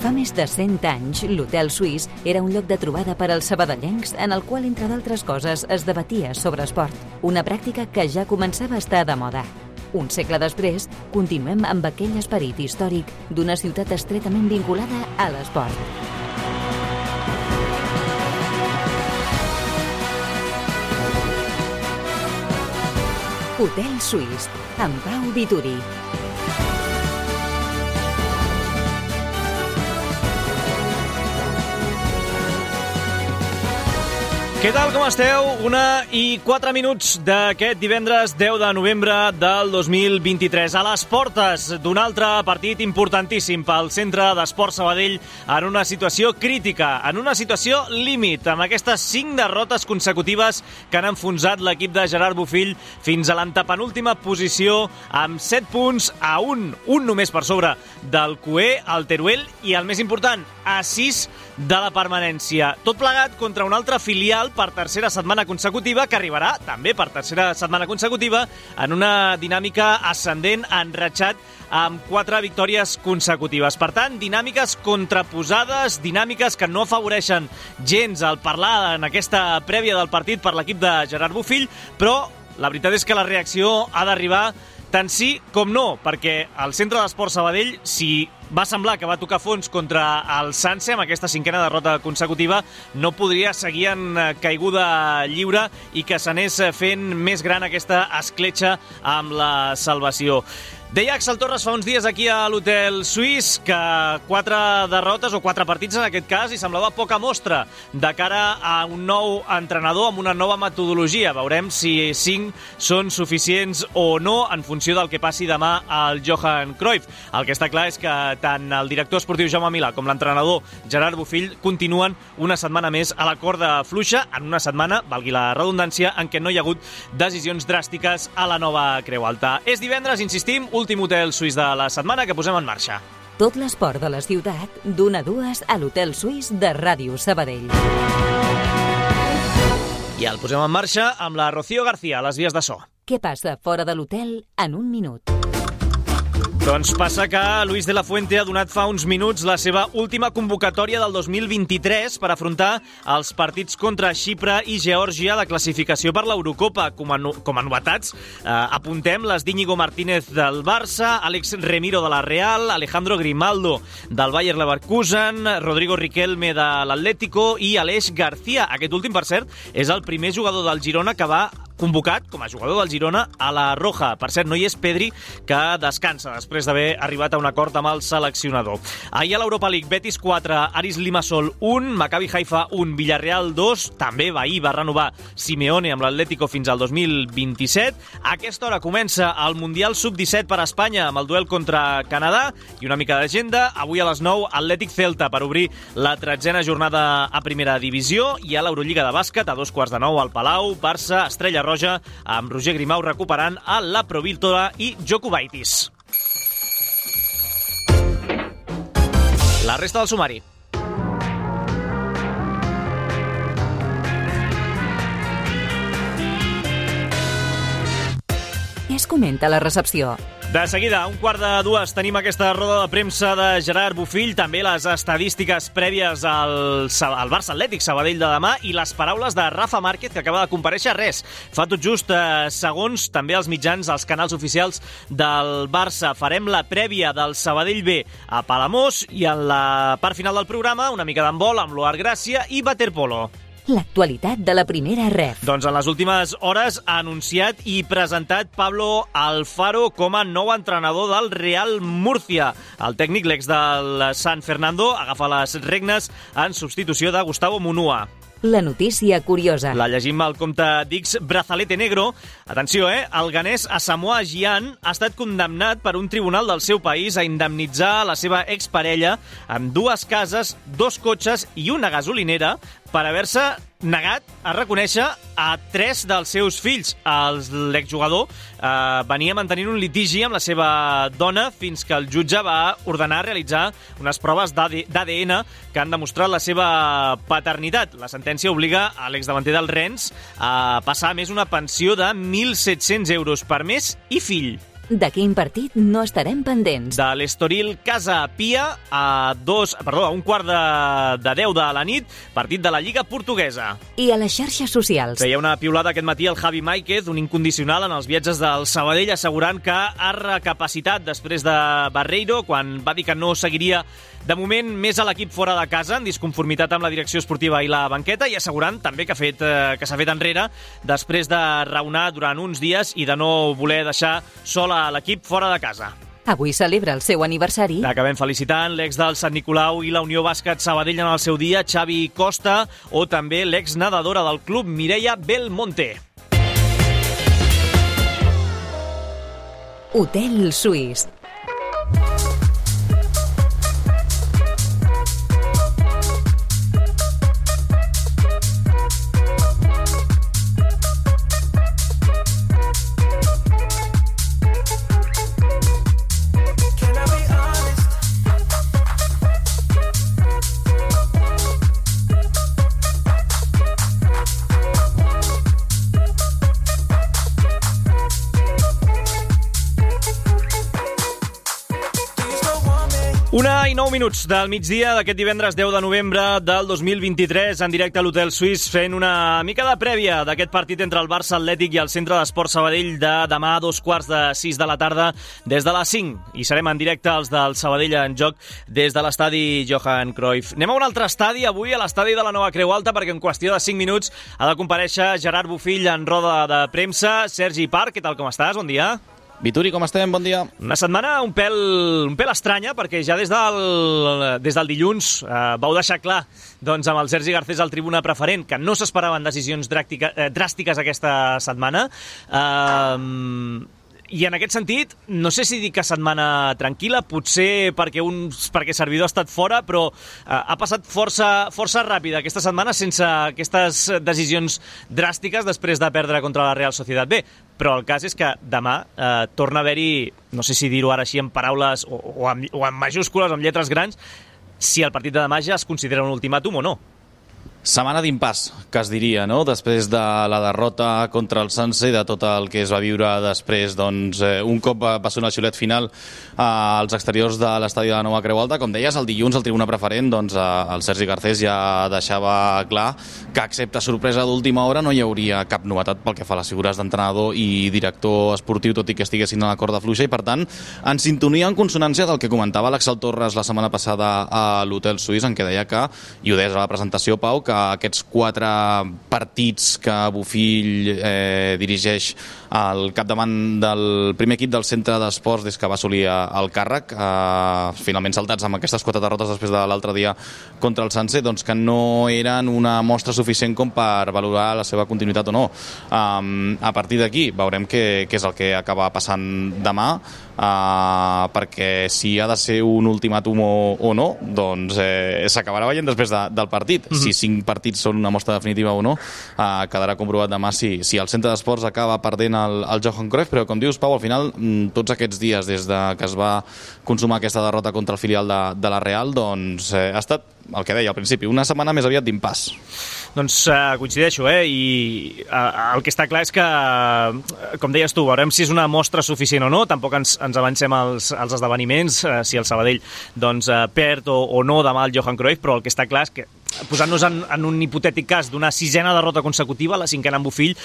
Fa més de 100 anys, l'Hotel Suís era un lloc de trobada per als sabadellencs en el qual, entre d'altres coses, es debatia sobre esport, una pràctica que ja començava a estar de moda. Un segle després, continuem amb aquell esperit històric d'una ciutat estretament vinculada a l'esport. Hotel Suís, amb Pau Vituri. Què tal, com esteu? 1:04 d'aquest divendres 10 de novembre del 2023. A les portes d'un altre partit importantíssim pel Centre d'Esport Sabadell en una situació crítica, en una situació límit, amb aquestes 5 derrotes consecutives que han enfonsat l'equip de Gerard Bofill fins a l'antepenúltima posició amb 7 punts a 1 només per sobre del CUE, el Teruel i, el més important, a 6 de la permanència. Tot plegat contra un altre filial per tercera setmana consecutiva, que arribarà també per tercera setmana consecutiva en una dinàmica ascendent, enratxat amb 4 victòries consecutives. Per tant, dinàmiques contraposades, dinàmiques que no afavoreixen gens al parlar en aquesta prèvia del partit per l'equip de Gerard Bofill, però la veritat és que la reacció ha d'arribar tant sí com no, perquè el Centre d'Esport Sabadell, si va semblar que va tocar fons contra el Sanse amb aquesta 5a derrota consecutiva, no podria seguir en caiguda lliure i que s'anés fent més gran aquesta escletxa amb la salvació. Deia Axel Torres fa uns dies aquí a l'Hotel Suís que 4 derrotes o 4 partits en aquest cas i semblava poca mostra de cara a un nou entrenador amb una nova metodologia. Veurem si 5 són suficients o no en funció del que passi demà al Johan Cruyff. El que està clar és que tant el director esportiu Jaume Milà com l'entrenador Gerard Bofill continuen una setmana més a la corda fluixa, en una setmana, valgui la redundància, en què no hi ha hagut decisions dràstiques a la nova Creu Alta. És divendres, insistim, últim hotel suís de la setmana que posem en marxa. Tot l'esport de la ciutat, d'1 a 2 a l'Hotel Suís de Ràdio Sabadell. I el posem en marxa amb la Rocío García, a les vies de so. Què passa fora de l'hotel en un minut? Doncs passa que Luis de la Fuente ha donat fa uns minuts la seva última convocatòria del 2023 per afrontar els partits contra Xipre i Geòrgia de classificació per l'Eurocopa. Com a novetats, apuntem les d'Íñigo Martínez del Barça, Àlex Remiro de la Real, Alejandro Grimaldo del Bayer Leverkusen, Rodrigo Riquelme de l'Atlético i Aleix García. Aquest últim, per cert, és el primer jugador del Girona que va convocat com a jugador del Girona a la Roja. Per cert, no hi és Pedri, que descansa després d'haver arribat a un acord amb el seleccionador. Ahir a l'Europa League, Betis 4, Aris Limassol 1, Maccabi Haifa 1, Villarreal 2, també ahir va renovar Simeone amb l'Atlético fins al 2027. A aquesta hora comença el Mundial Sub-17 per a Espanya amb el duel contra Canadà i una mica d'agenda. Avui a les 9, Atlètic Celta per obrir la 13a jornada a primera divisió i a l'Eurolliga de bàsquet a 2:15 al Palau, Barça, Estrella Roja, amb Roger Grimau recuperant a la Provítora i Jokubaitis. La resta del sumari. Què es comenta a la recepció? De seguida, a 1:45 tenim aquesta roda de premsa de Gerard Bofill, també les estadístiques prèvies al Barça Atlètic Sabadell de demà i les paraules de Rafa Márquez, que acaba de comparèixer fa tot just segons, també als mitjans, als canals oficials del Barça. Farem la prèvia del Sabadell B a Palamós i en la part final del programa una mica d'handbol amb l'Oar Gràcia i waterpolo. L'actualitat de la primera ref. Doncs en les últimes hores ha anunciat i presentat Pablo Alfaro com a nou entrenador del Real Murcia. El tècnic, l'ex del San Fernando, agafa les regnes en substitució de Gustavo Munua. La notícia curiosa. La llegim al compte d'X Brazalete Negro. Atenció, el ganès Asamoah Gyan ha estat condemnat per un tribunal del seu país a indemnitzar la seva exparella amb 2 cases, 2 cotxes i una gasolinera per haver-se negat a reconèixer a 3 dels seus fills. L'exjugador venia mantenint un litigi amb la seva dona fins que el jutge va ordenar realitzar unes proves d'ADN que han demostrat la seva paternitat. La sentència obliga a l'exdavanter del Rennes a passar a més una pensió de 1.700 euros per mes i fill. De quin partit no estarem pendents? De l'Estoril Casa Pia a 1:15 de la nit, partit de la Lliga Portuguesa. I a les xarxes socials. Feia una piulada aquest matí el Javi Máiquez, un incondicional en els viatges del Sabadell, assegurant que ha recapacitat després de Barreiro, quan va dir que no seguiria de moment més a l'equip fora de casa, en disconformitat amb la direcció esportiva i la banqueta, i assegurant també que s'ha fet enrere després de raonar durant uns dies i de no voler deixar sol a l'equip fora de casa. Avui celebra el seu aniversari. Acabem felicitant l'ex del Sant Nicolau i la Unió Bàsquet Sabadell en el seu dia, Xavi Costa, o també l'ex nedadora del club, Mireia Belmonte. Hotel Suís. Una i 9 minuts del migdia d'aquest divendres 10 de novembre del 2023, en directe a l'Hotel Suís, fent una mica de prèvia d'aquest partit entre el Barça Atlètic i el Centre d'Esports Sabadell de demà a 5:15 de la tarda des de les 5. I serem en directe els del Sabadell en joc des de l'estadi Johan Cruyff. Anem a un altre estadi avui, a l'estadi de la Nova Creu Alta, perquè en qüestió de 5 minuts ha de comparèixer Gerard Bofill en roda de premsa. Sergi Parc, què tal, com estàs? Bon dia. Vituri, com estem? Bon dia. Una setmana un pèl estranya, perquè ja des del dilluns vau deixar clar doncs, amb el Sergi Garcés al tribuna preferent que no s'esperaven decisions dràstiques aquesta setmana. I en aquest sentit, no sé si dir que setmana tranquil·la, potser perquè servidor ha estat fora, però ha passat força ràpida aquesta setmana sense aquestes decisions dràstiques després de perdre contra la Real Sociedad B. Però el cas és que demà torna a haver-hi, no sé si dir-ho ara així en paraules o en majúscules, amb lletres grans, si el partit de demà ja es considera un ultimàtum o no. Setmana d'impàs, que es diria, no? Després de la derrota contra el Sanse i de tot el que es va viure després, doncs, un cop va sonar el xiulet final als exteriors de l'estadi de la Nova Creu Alta. Com deies, el dilluns al tribuna preferent, doncs, el Sergi Garcés ja deixava clar que, excepte sorpresa d'última hora, no hi hauria cap novetat pel que fa a les figures d'entrenador i director esportiu, tot i que estiguessin a la corda fluixa, i per tant, en sintonia, en consonància del que comentava l'Axel Torres la setmana passada a l'Hotel Suís, en què deia que, i ho deies a la presentació, Pau, que aquests 4 partits que Bofill dirigeix al capdavant del primer equip del centre d'esports des que va assolir el càrrec, finalment saltats amb aquestes 4 derrotes després de l'altre dia contra el Sanse, doncs que no eren una mostra suficient com per valorar la seva continuïtat o no. A partir d'aquí veurem què és el que acaba passant demà, perquè si ha de ser un ultimàtum o no, doncs s'acabarà veient després del partit. Si 5 partits són una mostra definitiva o no, quedarà comprovat demà si el centre d'esports acaba perdent el Johan Cruyff. Però com dius, Pau, al final tots aquests dies des que es va consumar aquesta derrota contra el filial de la Real, doncs ha estat el que deia al principi, una setmana més aviat d'impàs. Doncs coincideixo, i el que està clar és que, com deies tu, veurem si és una mostra suficient o no. Tampoc ens avancem als esdeveniments, si el Sabadell doncs, perd o no demà el Johan Cruyff, però el que està clar és que, posant-nos en un hipotètic cas d'una 6a derrota consecutiva, la 5a en Bofill,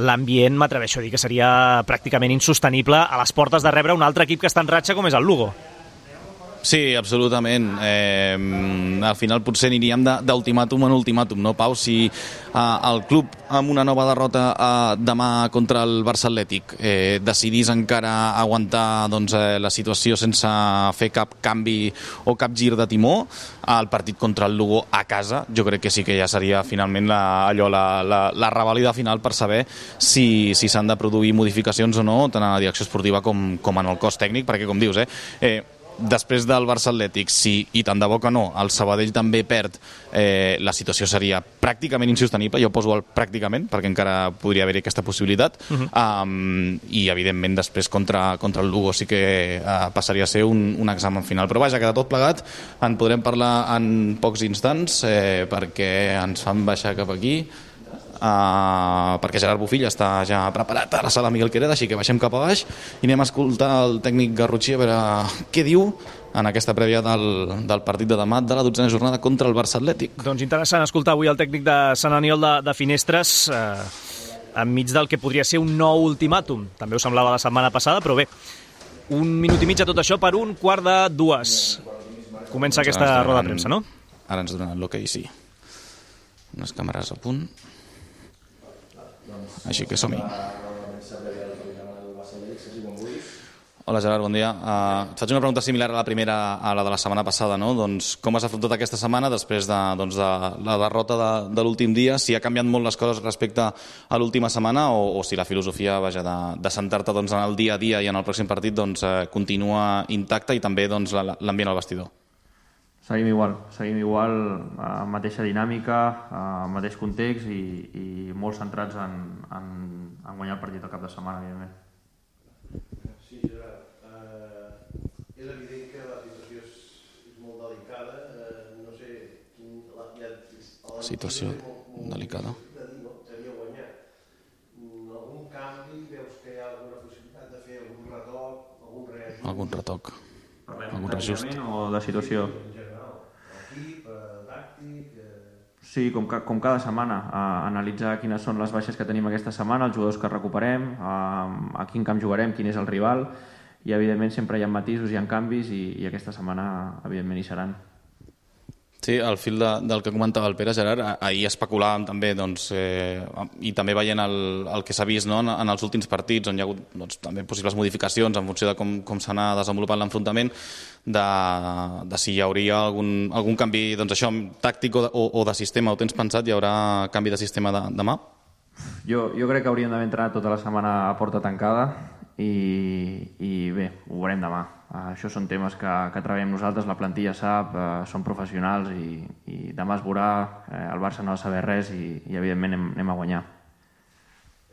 l'ambient, m'atreveixo a dir que seria pràcticament insostenible a les portes de rebre un altre equip que està en ratxa com és el Lugo. Sí, absolutament. Al final potser aniríem d'ultimàtum en ultimàtum, no, Pau? Si el club amb una nova derrota demà contra el Barça Atlètic decidís encara aguantar doncs, la situació sense fer cap canvi o cap gir de timó, el partit contra el Lugo a casa, jo crec que sí que ja seria finalment la revàlida final per saber si s'han de produir modificacions o no, tant a la direcció esportiva com en el cos tècnic, perquè com dius, després del Barça Atlètic, i tant de bo que no, el Sabadell també perd, la situació seria pràcticament insostenible. Jo poso el pràcticament, perquè encara podria haver-hi aquesta possibilitat, i evidentment després contra el Lugo sí que passaria a ser un examen final. Però vaja, que de tot plegat en podrem parlar en pocs instants, perquè ens fan baixar cap aquí perquè Gerard Bofill està ja preparat a la sala Miguel Quereda, així que baixem cap a baix i anem a escoltar el tècnic Garrotxí a veure què diu en aquesta prèvia del partit de demà de la 12a jornada contra el Barça Atlètic. Doncs interessant escoltar avui el tècnic de Sant Aniol de Finestres enmig del que podria ser un nou ultimàtum. També ho semblava la setmana passada, però bé, un minut i mig a tot això per 1:45. Comença aquesta roda de premsa, no? Ara ens donen l'hoquei, sí. Unes càmeres a punt. Així que som-hi. Hola Gerard, bon dia. Et faig una pregunta similar a la primera, a la de la setmana passada, no? Doncs com has afrontat aquesta setmana després de la derrota de l'últim dia? Si ha canviat molt les coses respecte a l'última setmana o si la filosofia de centrar-te en el dia a dia i en el pròxim partit continua intacta i també l'ambient al vestidor? Seguim igual, mateixa dinàmica, mateix context i molt centrats en guanyar el partit al cap de setmana, evidentment. Sí, Gerard. És evident que la situació és molt delicada. No sé quin... Situació delicada. Seria guanyar. Algun canvi? Veus que hi ha alguna possibilitat de fer algun retoc, algun reajust? Algun retoc. Algun reajust. O de situació? En general. Equip, tàctic... Sí, com cada setmana, analitzar quines són les baixes que tenim aquesta setmana, els jugadors que recuperem, a quin camp jugarem, quin és el rival, i evidentment sempre hi ha matisos, hi ha canvis i aquesta setmana evidentment hi seran. Sí, al fil del que comentava el Pere, Gerard, ahir especulàvem també, i també veient el que s'ha vist en els últims partits, on hi ha hagut també possibles modificacions en funció de com s'anà desenvolupant l'enfrontament, de si hi hauria algun canvi tàctic o de sistema. Ho tens pensat? Hi haurà canvi de sistema demà? Jo crec que hauríem d'haver entrenat tota la setmana a porta tancada i bé, ho veurem demà. Això són temes que treballem nosaltres, la plantilla sap, són professionals i demà es veurà, el Barça no ha de saber res i evidentment anem a guanyar.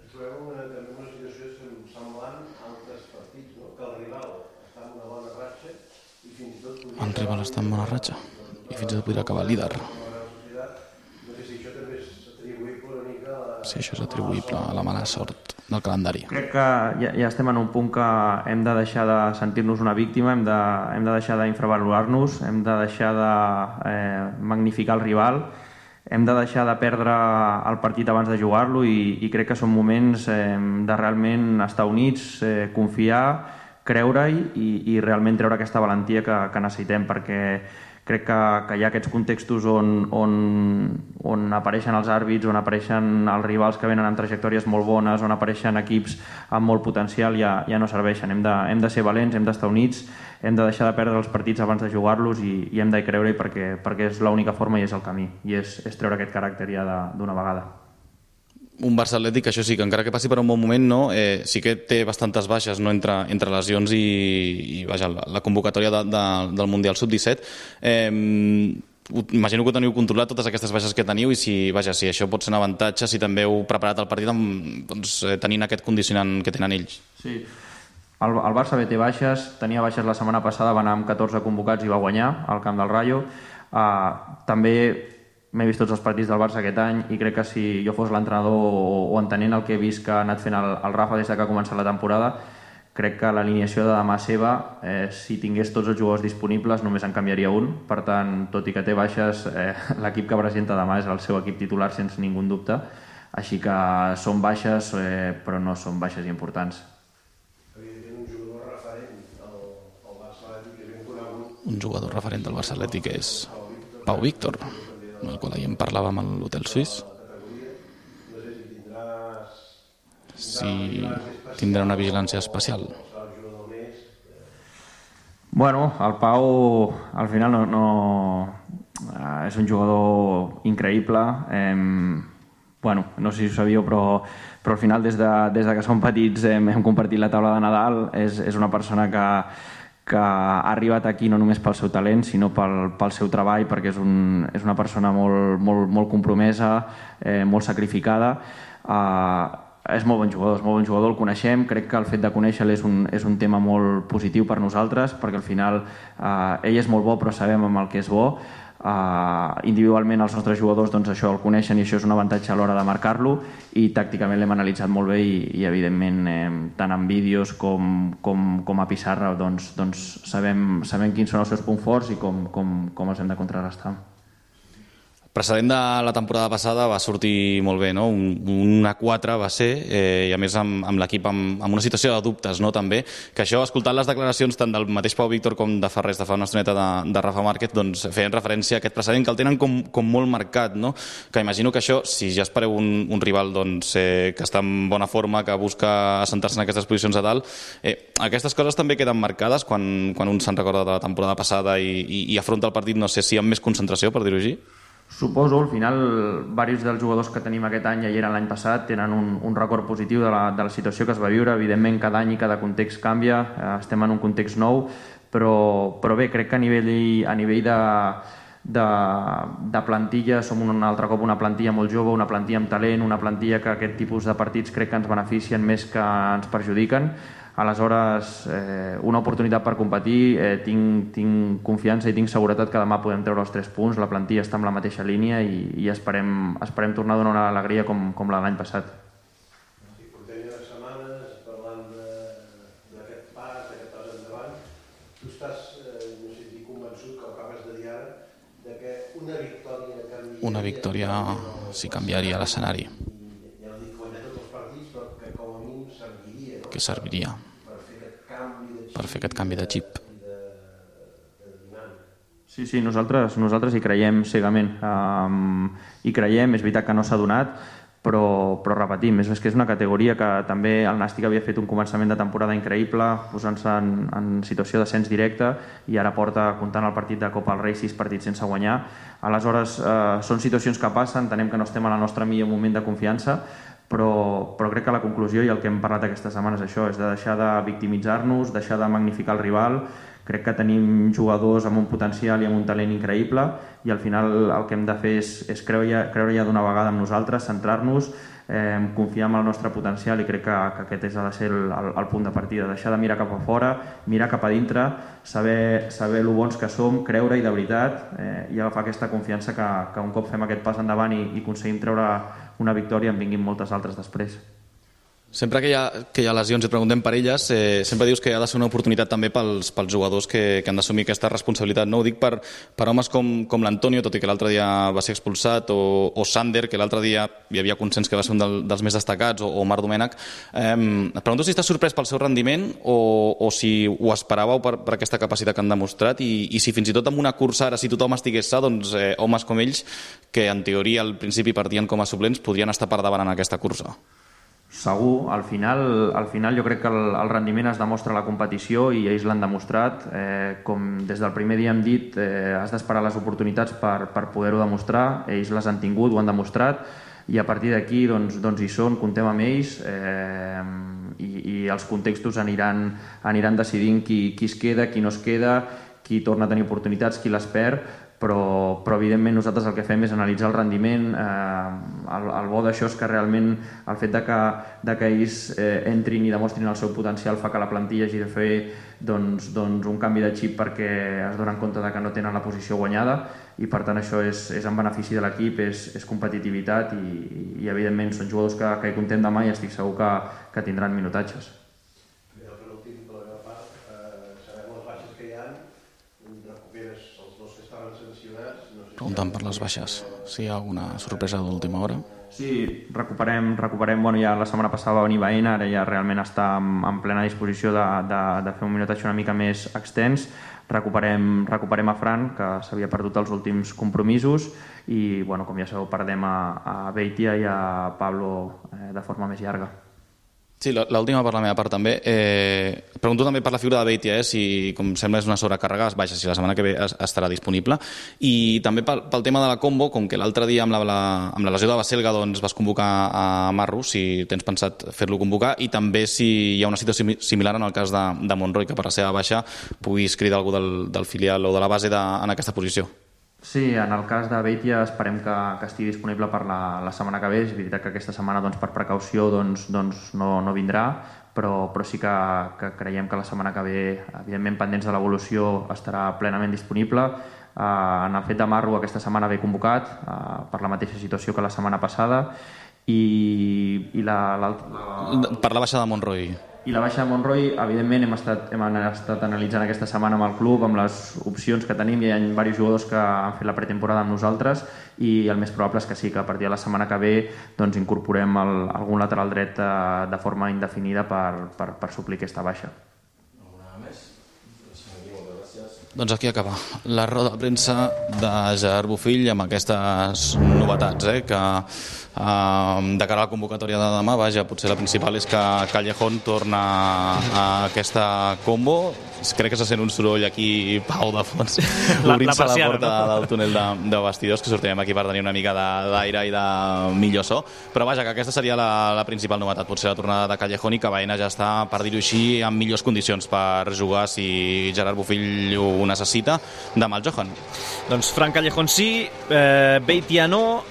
Ens trobem també una situació semblant a altres partits, no? Que el rival està en una bona ratxa i fins i tot... El rival està en bona ratxa i fins i tot podria acabar líder. No sé si això també és atribuïble una mica a... Sí, això és atribuïble a la mala sort del calendari. Crec que ja estem en un punt que hem de deixar de sentir-nos una víctima, hem de deixar d'infravalorar-nos, hem de deixar de magnificar el rival, hem de deixar de perdre el partit abans de jugar-lo i crec que són moments de realment estar units, confiar, creure-hi i realment treure aquesta valentia que necessitem, perquè crec que hi ha aquests contextos on apareixen els àrbits, on apareixen els rivals que venen amb trajectòries molt bones, on apareixen equips amb molt potencial, ja no serveixen. Hem de ser valents, hem d'estar units, hem de deixar de perdre els partits abans de jugar-los i hem de creure-hi perquè és l'única forma i és el camí, i és treure aquest caràcter ja d'una vegada. Un Barça Atlètic, això sí, que encara que passi per un bon moment, sí que té bastantes baixes entre lesions i la convocatòria del Mundial Sub-17. Imagino que ho teniu controlat, totes aquestes baixes que teniu, i si això pot ser un avantatge, si també heu preparat el partit tenint aquest condicionant que tenen ells. Sí, el Barça bé té baixes, tenia baixes la setmana passada, va anar amb 14 convocats i va guanyar al camp del Rayo. També m'he vist tots els partits del Barça aquest any i crec que si jo fos l'entrenador o entenent el que he vist que ha anat fent el Rafa des que ha començat la temporada, crec que l'alineació de demà seva, si tingués tots els jugadors disponibles, només en canviaria un. Per tant, tot i que té baixes, l'equip que presenta demà és el seu equip titular sense ningú dubte. Així que són baixes, però no són baixes importants. Evidentment, un jugador referent al Barça Atlètic és ben conegut. Un jugador referent del Barça Atlètic és Pau Víctor, del qual ahir en parlàvem a l'Hotel Suís. Si tindrà una vigilància especial. Bueno, el Pau al final és un jugador increïble. No sé si ho sabíeu, però al final des de que som petits hem compartit la taula de Nadal. És una persona que ha arribat aquí no només pel seu talent, sinó pel seu treball, perquè és una persona molt compromesa, molt sacrificada. És molt bon jugador, el coneixem. Crec que el fet de conèixer-lo és un tema molt positiu per nosaltres, perquè al final ell és molt bo, però sabem amb el que és bo. Individualment els nostres jugadors doncs, això el coneixen i això és un avantatge a l'hora de marcar-lo, i tàcticament l'hem analitzat molt bé i evidentment tant en vídeos com a pissarra doncs, sabem quins són els seus punts forts i com els hem de contrarrestar. El precedent de la temporada passada va sortir molt bé, no? Un 4 va ser, i a més amb l'equip amb una situació de dubtes, no? També, que això, escoltant les declaracions tant del mateix Pau Víctor com de fa res, de fa una estoneta de Rafa Márquez, doncs feien referència a aquest precedent que el tenen com molt marcat, no? Que imagino que això, si ja espereu un rival doncs, que està en bona forma, que busca assentar-se en aquestes posicions a dalt, aquestes coses també queden marcades quan un se'n recorda de la temporada passada i afronta el partit, no sé si amb més concentració, per dir-ho així? Suposo, al final, diversos dels jugadors que tenim aquest any ja hi eren l'any passat, tenen un record positiu de la situació que es va viure. Evidentment, cada any i cada context canvia, estem en un context nou, però bé, crec que a nivell de plantilla som un altre cop una plantilla molt jove, una plantilla amb talent, una plantilla que aquest tipus de partits crec que ens beneficien més que ens perjudiquen. Aleshores, una oportunitat per competir, tinc confiança i tinc seguretat que demà podem treure els 3 punts, la plantilla està en la mateixa línia i esperem tornar a donar una alegria com la de l'any passat. Portem ja unes setmanes parlant d'aquest pas endavant. Tu estàs, no sé si convençut, que ho acabes de dir ara, que una victòria canviaria... Una victòria sí canviaria l'escenari. Ja ho dic, guanyar tots els partits, però que com a mínim serviria. Que serviria per fer aquest canvi de xip. Sí, nosaltres hi creiem cegament. Hi creiem, és veritat que no s'ha donat, però repetim, és que és una categoria que també el Nàstic havia fet un començament de temporada increïble, posant-se en situació d'ascens directe, i ara porta, comptant el partit de Copa del Rei, 6 partits sense guanyar. Aleshores, són situacions que passen, entenem que no estem en el nostre millor moment de confiança, però crec que la conclusió i el que hem parlat aquesta setmana és això, és de deixar de victimitzar-nos, deixar de magnificar el rival. Crec que tenim jugadors amb un potencial i amb un talent increïble, i al final el que hem de fer és creure ja d'una vegada en nosaltres, centrar-nos, confiar en el nostre potencial, i crec que aquest ha de ser el punt de partida, deixar de mirar cap a fora, mirar cap a dintre, saber lo bons que som, creure-hi de veritat, i agafar aquesta confiança que un cop fem aquest pas endavant i aconseguim treure una victòria, en vinguin moltes altres després. Sempre que hi ha lesions i preguntem per elles, sempre dius que ha de ser una oportunitat també pels jugadors que han d'assumir aquesta responsabilitat. No ho dic per homes com l'Antonio, tot i que l'altre dia va ser expulsat, o Sander, que l'altre dia hi havia consens que va ser un dels més destacats, o Marc Domènech. Et pregunto si estàs sorprès pel seu rendiment o si ho esperàveu per aquesta capacitat que han demostrat, i si fins i tot en una cursa, ara si tothom estigués sa, doncs homes com ells, que en teoria al principi partien com a suplents, podrien estar per davant en aquesta cursa. Segur, al final jo crec que el rendiment es demostra a la competició, i ells l'han demostrat. Com des del primer dia hem dit, has d'esperar les oportunitats per poder-ho demostrar. Ells les han tingut, ho han demostrat, i a partir d'aquí doncs hi són, comptem amb ells, i els contextos aniran decidint qui es queda, qui no es queda, qui torna a tenir oportunitats, qui les perd, però evidentment nosaltres el que fem és analitzar el rendiment. El bo d'això és que realment el fet de que ells entrin i demostrin el seu potencial fa que la plantilla hagi de fer doncs un canvi de xip, perquè es donen compte de que no tenen la posició guanyada, i per tant això és en benefici de l'equip, és competitivitat, i evidentment són jugadors que hi comptem demà, i estic segur que tindran minutatges. Preguntant per les baixes, si hi ha alguna sorpresa d'última hora. Sí, recuperem, ja la setmana passada va venir Baena, ara ja realment està en plena disposició de fer un minutatge una mica més extens. Recuperem a Fran, que s'havia perdut els últims compromisos, i com ja sabeu, perdem a Beitia i a Pablo de forma més llarga. Sí, l'última per la meva part també. Pregunto també per la figura de Beitia, si com sembla és una sobrecàrrega, si la setmana que ve estarà disponible. I també pel tema de la combo, com que l'altre dia amb la lesió de Baselga vas convocar a Marro, si tens pensat fer-lo convocar, i també si hi ha una situació similar en el cas de Monroy, que per la seva baixa puguis cridar algú del filial o de la base en aquesta posició. Sí, en el cas de Beitia esperem que estigui disponible per la setmana que ve. És veritat que aquesta setmana per precaució no vindrà, però sí que creiem que la setmana que ve, evidentment pendents de l'evolució, estarà plenament disponible. en el fet de Marro aquesta setmana ve convocat per la mateixa situació que la setmana passada i per la baixa de Monroy. I la baixa de Monroy, evidentment, hem estat analitzant aquesta setmana amb el club, amb les opcions que tenim. Hi ha diversos jugadors que han fet la pretemporada amb nosaltres i el més probable és que sí, que a partir de la setmana que ve doncs, incorporem algun lateral dret de forma indefinida per suplir aquesta baixa. Doncs aquí acaba la roda de premsa de Gerard Bofill amb aquestes novetats, que de cara a la convocatòria de demà, vaja, potser la principal és que Callejón torna a aquesta combo. Crec que se sent un soroll aquí, Pau, de fons, obrint-se la porta del túnel de vestidors, que sortirem aquí per tenir una mica d'aire i de millor so. Però vaja, que aquesta seria la principal novetat, potser la tornada de Callejón, i que Baena ja està, per dir-ho així, en millors condicions per jugar si Gerard Bofill ho necessita, demà el Johan. Doncs Fran Callejón sí, Beitia no,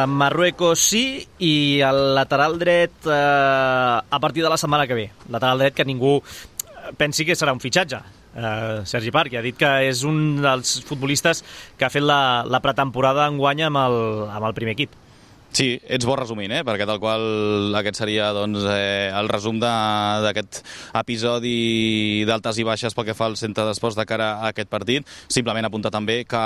Marruecos sí, i el lateral dret a partir de la setmana que ve. Lateral dret que ningú pensi que serà un fitxatge. Sergi Parc ha dit que és un dels futbolistes que ha fet la pretemporada enguany amb el primer equip. Sí, ets bo resumint, perquè tal qual aquest seria doncs, el resum d'aquest episodi d'altes i baixes pel que fa al centre d'esports de cara a aquest partit. Simplement apuntar també que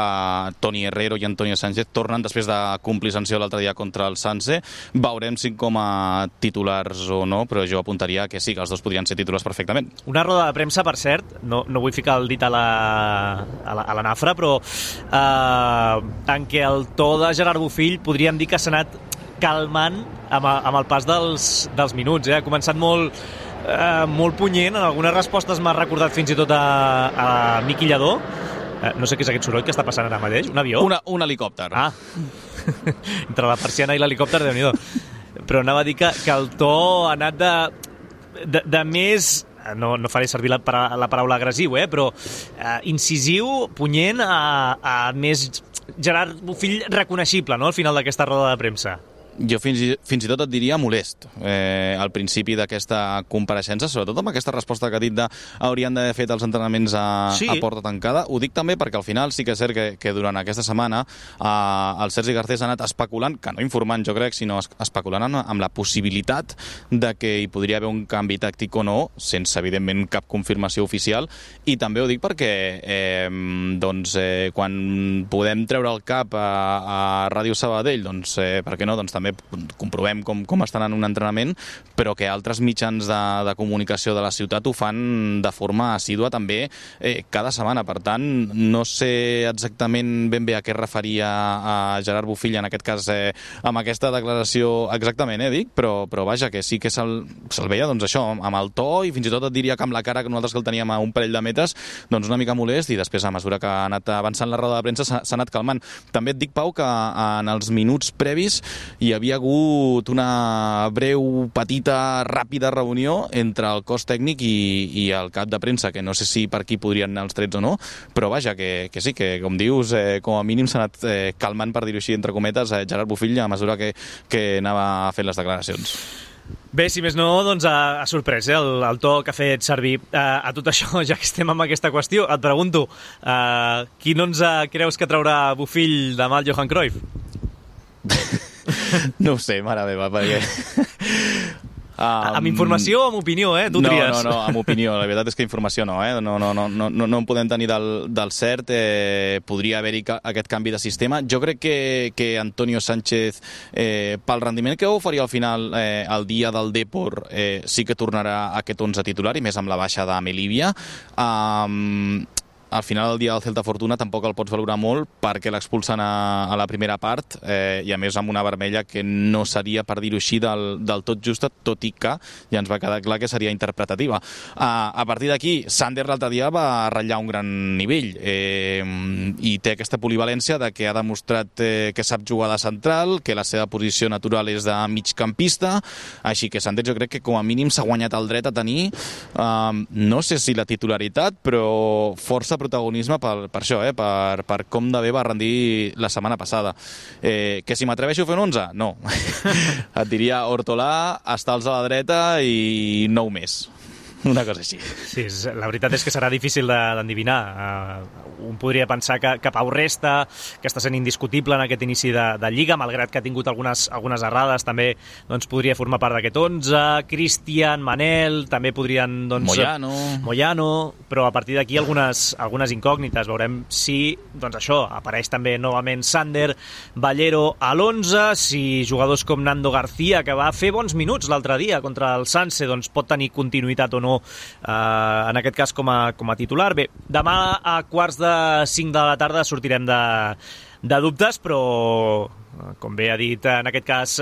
Toni Herrero i Antonio Sánchez tornen després de complir sanció l'altre dia contra el Sanse. Veurem si com a titulars o no, però jo apuntaria que sí, que els dos podrien ser titulars perfectament. Una roda de premsa, per cert, no vull ficar el dit a la nafra, però en què el to de Gerard Bofill podríem dir que s'ha anat calmant amb el pas dels minuts. Ha començat molt punyent. En algunes respostes m'ha recordat fins i tot a Miqui Lladó. No sé què és aquest soroll que està passant ara mateix. Un avió? Un helicòpter. Entre la persiana i l'helicòpter, Déu-n'hi-do. Però anava a dir que el to ha anat de més... No faré servir la paraula agressiu, però incisiu, punyent, a més Gerard Bofill reconeixible, no?, al final d'aquesta roda de premsa. Jo fins i tot et diria molest al principi d'aquesta compareixença, sobretot amb aquesta resposta que ha dit haurien d'haver fet els entrenaments a porta tancada. Ho dic també perquè al final sí que és cert que durant aquesta setmana el Sergi Garcés ha anat especulant, que no informant jo crec, sinó especulant amb la possibilitat de que hi podria haver un canvi tàctic o no, sense evidentment cap confirmació oficial. I també ho dic perquè quan podem treure el cap a Ràdio Sabadell, doncs per què no, doncs també comprovem com estan en un entrenament, però que altres mitjans de comunicació de la ciutat ho fan de forma assídua també cada setmana. Per tant, no sé exactament ben bé a què referia a Gerard Bofill en aquest cas amb aquesta declaració exactament, dic, però vaja, que sí que se'l veia doncs això, amb el to, i fins i tot et diria que amb la cara, que nosaltres que el teníem a un parell de metres, doncs una mica molest, i després a mesura que ha anat avançant la roda de premsa s'ha anat calmant. També et dic, Pau, que en els minuts previs hi havia hagut una breu, petita, ràpida reunió entre el cos tècnic i el cap de premsa, que no sé si per aquí podrien anar els trets o no, però vaja, que sí, que com dius, com a mínim s'ha anat calmant, per dir-ho així, entre cometes, Gerard Bofill a mesura que anava fent les declaracions. Bé, si més no, doncs ha sorprès el to que ha fet servir. A tot això, ja que estem amb aquesta qüestió, et pregunto, quin 11 creus que traurà Bofill demà el Johan Cruyff? No ho sé, mare meva, perquè... Amb informació o amb opinió, tu tries? No, amb opinió. La veritat és que informació no, no en podem tenir del cert. Podria haver-hi aquest canvi de sistema. Jo crec que Antonio Sánchez, pel rendiment que oferia al final el dia del Depor, sí que tornarà a aquest 11 titular, i més amb la baixa de Melivia. Al final del dia del Celta Fortuna tampoc el pots valorar molt perquè l'expulsen a la primera part, i a més amb una vermella que no seria, per dir-ho així, del tot justa, tot i que ja ens va quedar clar que seria interpretativa. A partir d'aquí, Sander l'altre dia va ratllar un gran nivell, i té aquesta polivalència de que ha demostrat que sap jugar de central, que la seva posició natural és de migcampista, així que Sander jo crec que com a mínim s'ha guanyat el dret a tenir, no sé si la titularitat, però força protagonisme per això, per com de bé va rendir la setmana passada. Que si m'atreveixo a fer un 11? No. Et diria Hortolà, Estals a la dreta i 9 més. Una cosa així. Sí, la veritat és que serà difícil d'endevinar. Un podria pensar que Pau Resta, que està sent indiscutible en aquest inici de Lliga, malgrat que ha tingut algunes errades, també doncs, podria formar part d'aquest 11. Cristian, Manel, també podrien... Doncs, Moyano, però a partir d'aquí algunes incògnites. Veurem si, doncs això, apareix també novament Sander, Ballero a l'11, si jugadors com Nando García, que va fer bons minuts l'altre dia contra el Sanse, doncs pot tenir continuïtat o no en aquest cas com a titular. Bé, demà a 4:45 de la tarda sortirem de dubtes, però com bé ha dit en aquest cas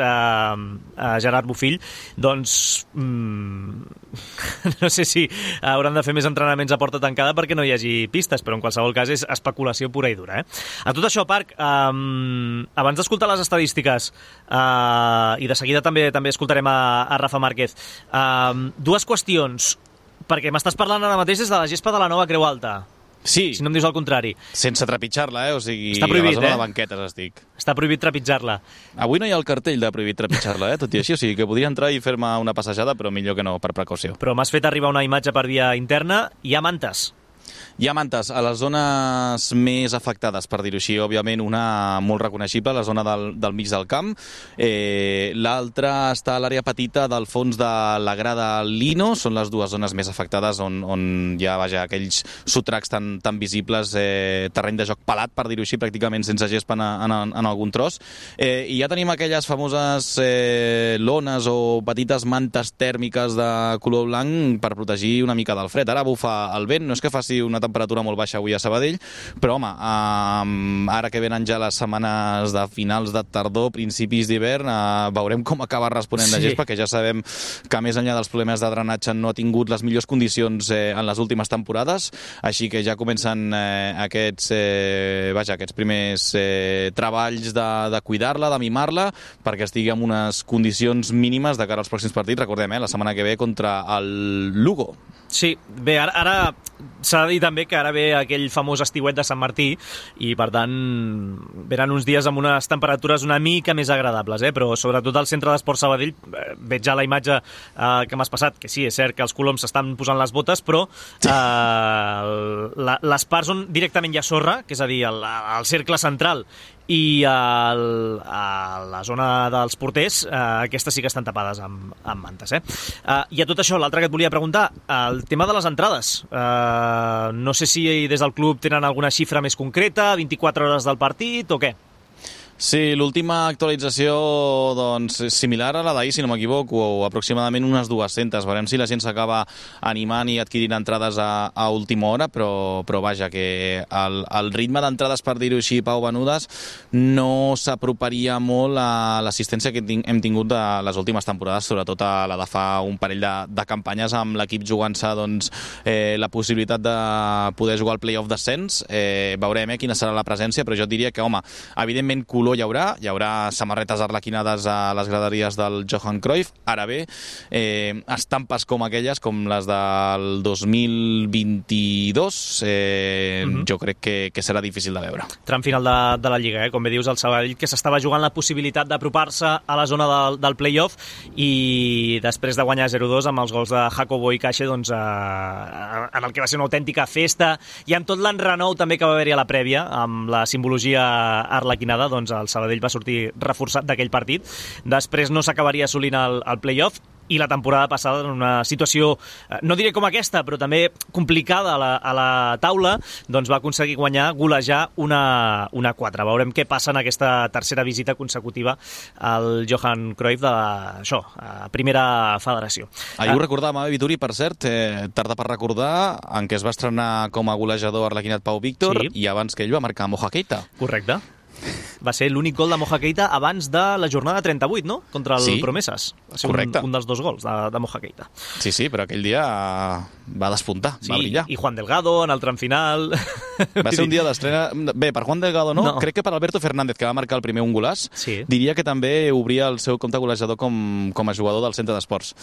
Gerard Bofill, doncs no sé si hauran de fer més entrenaments a porta tancada perquè no hi hagi pistes, però en qualsevol cas és especulació pura i dura. A tot això, Parc, abans d'escoltar les estadístiques i de seguida també escoltarem a Rafa Márquez, dues qüestions, perquè m'estàs parlant ara mateix des de la gespa de la nova Creu Alta. Sí. Si no em dius el contrari. Sense trepitjar-la, O sigui, està prohibit, a la zona de banquetes estic. Està prohibit trepitjar-la. Avui no hi ha el cartell de prohibit trepitjar-la, Tot i així, o sigui que podria entrar i fer-me una passejada, però millor que no, per precaució. Però m'has fet arribar una imatge per via interna. Hi ha mantes. Hi ha mantes a les zones més afectades, per dir-ho així. Òbviament, una molt reconeixible, la zona del mig del camp. L'altra està a l'àrea petita del fons de la grada Lino. Són les dues zones més afectades on hi ha aquells sotracs tan visibles, terreny de joc pelat, per dir-ho així, pràcticament sense gespa en algun tros. I ja tenim aquelles famoses lones o petites mantes tèrmiques de color blanc per protegir una mica del fred. Ara bufa el vent, no és que faci una temperatura molt baixa avui a Sabadell, però home, ara que venen ja les setmanes de finals de tardor, principis d'hivern, veurem com acaba responent la gespa, que ja sabem que més enllà dels problemes de drenatge no ha tingut les millors condicions en les últimes temporades, així que ja comencen aquests primers treballs de cuidar-la, de mimar-la, perquè estigui en unes condicions mínimes de cara als pròxims partits. Recordem, la setmana que ve contra el Lugo. Sí, bé, ara s'ha de dir també que ara ve aquell famós estiuet de Sant Martí i, per tant, venen uns dies amb unes temperatures una mica més agradables, però sobretot al centre d'Esport Sabadell veig ja la imatge que m'has passat, que sí, és cert que els coloms s'estan posant les botes, però les parts on directament hi ha sorra, que és a dir, el cercle central i a la zona dels porters, aquestes sí que estan tapades amb mantes. I a tot això, l'altre que et volia preguntar, el tema de les entrades. No sé si des del club tenen alguna xifra més concreta, 24 hores del partit o què? Sí, l'última actualització doncs, és similar a la d'ahir, si no m'equivoco, o aproximadament unes 200. Veurem si la gent s'acaba animant i adquirint entrades a última hora, però vaja, que el ritme d'entrades, per dir-ho així, Pau, venudes, no s'aproparia molt a l'assistència que hem tingut de les últimes temporades, sobretot a la de fa un parell de campanyes amb l'equip jugant-se doncs, la possibilitat de poder jugar al play-off d'ascens. Veurem quina serà la presència, però jo et diria que, home, evidentment color hi haurà samarretes arlequinades a les graderies del Johan Cruyff. Ara bé, estampes com aquelles, com les del 2022, jo crec que serà difícil de veure. Tram final de la Lliga, com bé dius, el Sabadell, que s'estava jugant la possibilitat d'apropar-se a la zona del play-off i després de guanyar 0-2 amb els gols de Jacobo i Caixa, doncs, en el que va ser una autèntica festa i amb tot l'enrenou també que va haver-hi a la prèvia, amb la simbologia arlequinada, doncs el Sabadell va sortir reforçat d'aquell partit. Després no s'acabaria assolint el play-off i la temporada passada en una situació, no diré com aquesta, però també complicada a la taula, doncs va aconseguir golejar una 4. Veurem què passa en aquesta tercera visita consecutiva al Johan Cruyff de la primera federació. Ahir ho recordàvem, Vituri, per cert, tarda per recordar, en què es va estrenar com a golejador arlequinat Pau Víctor, sí. I abans que ell va marcar Moja Keita. Correcte. Va ser l'únic gol de Moja Keita abans de la jornada 38, no? Contra el Promeses. Va ser un dels dos gols de Moja Keita. Sí, però aquell dia va despuntar, va brillar. I Juan Delgado en el tram final. Va ser un dia d'estrena... Bé, per Juan Delgado no. Crec que per Alberto Fernández, que va marcar el primer un golàs, diria que també obria el seu compte golejador com a jugador del centre d'esports.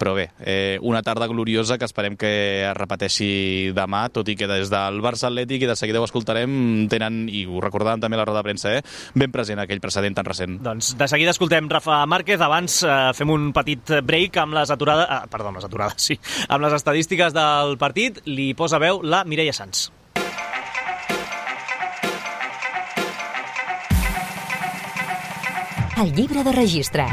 Però bé, una tarda gloriosa que esperem que es repeteixi demà, tot i que des del Barça Atlètic, i de seguida ho escoltarem, tenen, i ho recordàvem també a la roda de premsa, ben present aquell precedent tan recent. Doncs de seguida escoltem Rafa Márquez. Abans fem un petit break amb les amb les estadístiques del partit. Li posa veu la Mireia Sans. El llibre de registre.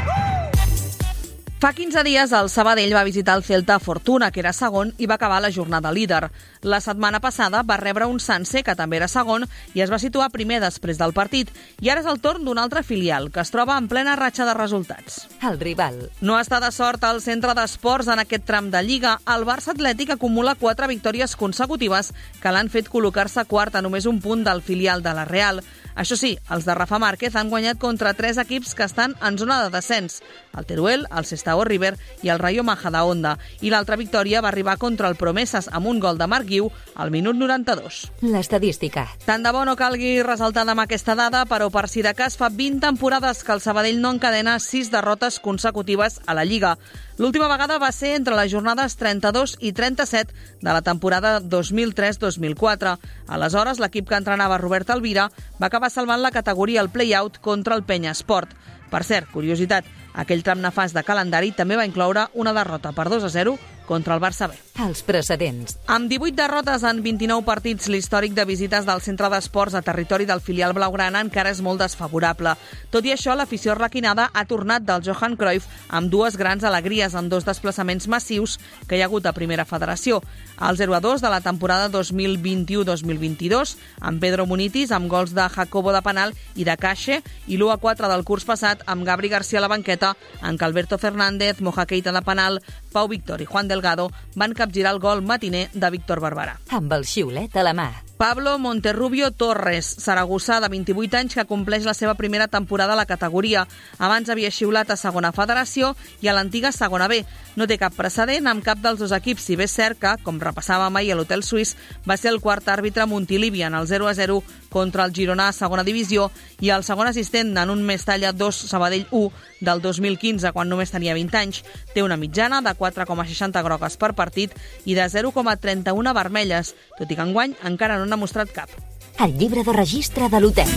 Fa 15 dies el Sabadell va visitar el Celta Fortuna, que era segon, i va acabar la jornada líder. La setmana passada va rebre un Sanse, que també era segon, i es va situar primer després del partit. I ara és el torn d'un altre filial, que es troba en plena ratxa de resultats. El rival. No està de sort al centre d'esports en aquest tram de Lliga. El Barça Atlètic acumula 4 victòries consecutives que l'han fet col·locar-se quart a només un punt del filial de la Real. Això sí, els de Rafa Márquez han guanyat contra 3 equips que estan en zona de descens: el Teruel, el Sestao River i el Rayo Majadahonda. I l'altra victòria va arribar contra el Promesas amb un gol de Marc Guiu al minut 92. L'estadística. Tant de bo no calgui ressaltar demà aquesta dada, però per si de cas fa 20 temporades que el Sabadell no encadena 6 derrotes consecutives a la Lliga. L'última vegada va ser entre les jornades 32 i 37 de la temporada 2003-2004. Aleshores, l'equip que entrenava Robert Alvira va acabar salvant la categoria al play-out contra el Penya Esport. Per cert, curiositat, aquell tram nefast de calendari també va incloure una derrota per 2-0 contra el Barça B. Els precedents. Amb 18 derrotes en 29 partits, l'històric de visites del centre d'esports a territori del filial blaugrana encara és molt desfavorable. Tot i això, l'afició arlequinada ha tornat del Johan Cruyff amb 2 grans alegries en 2 desplaçaments massius que hi ha hagut a Primera Federació. El 0-2 de la temporada 2021-2022, amb Pedro Munitis, amb gols de Jacobo de penal i de Caixe, i l'1-4 del curs passat amb Gabri García a la banqueta, en què Alberto Fernández, Moja Keita de penal, Pau Víctor i Juan Delgado van capgirar el gol matiner de Víctor Barberà. Amb el xiulet a la mà. Pablo Monterrubio Torres, saragossà de 28 anys que compleix la seva primera temporada a la categoria. Abans havia xiulat a segona federació i a l'antiga segona B. No té cap precedent amb cap dels 2 equips, si bé és cert que, com repassava mai a l'Hotel Suís, va ser el quart àrbitre Montilivi en el 0-0 contra el Girona a segona divisió i el segon assistent en un Mestalla 2 Sabadell 1 del 2015, quan només tenia 20 anys. Té una mitjana de 4,60 grogues per partit i de 0,31 vermelles, tot i que enguany encara no n'ha mostrat cap. El llibre de registre de l'hotel.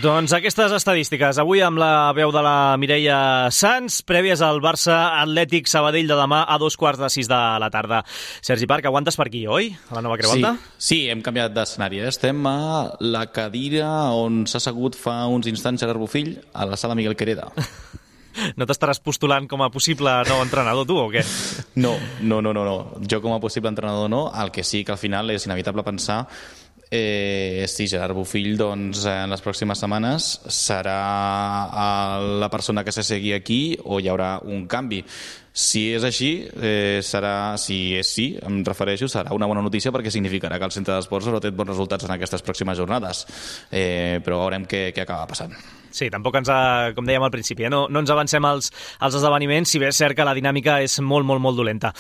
Doncs aquestes estadístiques, avui amb la veu de la Mireia Sans, prèvies al Barça Atlètic Sabadell de demà a 5:45 de la tarda. Sergi Parc, aguantes per aquí, oi? A la nova Creu Alta? Sí, hem canviat d'escenari. Estem a la cadira on s'ha assegut fa uns instants Gerard Bofill, a la sala Miguel Quereda. No t'estaràs postulant com a possible nou entrenador, tu, o què? No. Jo com a possible entrenador no. El que sí que al final és inevitable pensar si Gerard Bofill doncs, en les pròximes setmanes serà la persona que s'assegui aquí o hi haurà un canvi. Si és així, si és sí, em refereixo, serà una bona notícia perquè significarà que el centre d'esports haurà tret bons resultats en aquestes pròximes jornades. Però veurem què acaba passant. Sí, tampoc com dèiem al principi, no ens avancem als esdeveniments, si bé és cert que la dinàmica és molt, molt, molt dolenta.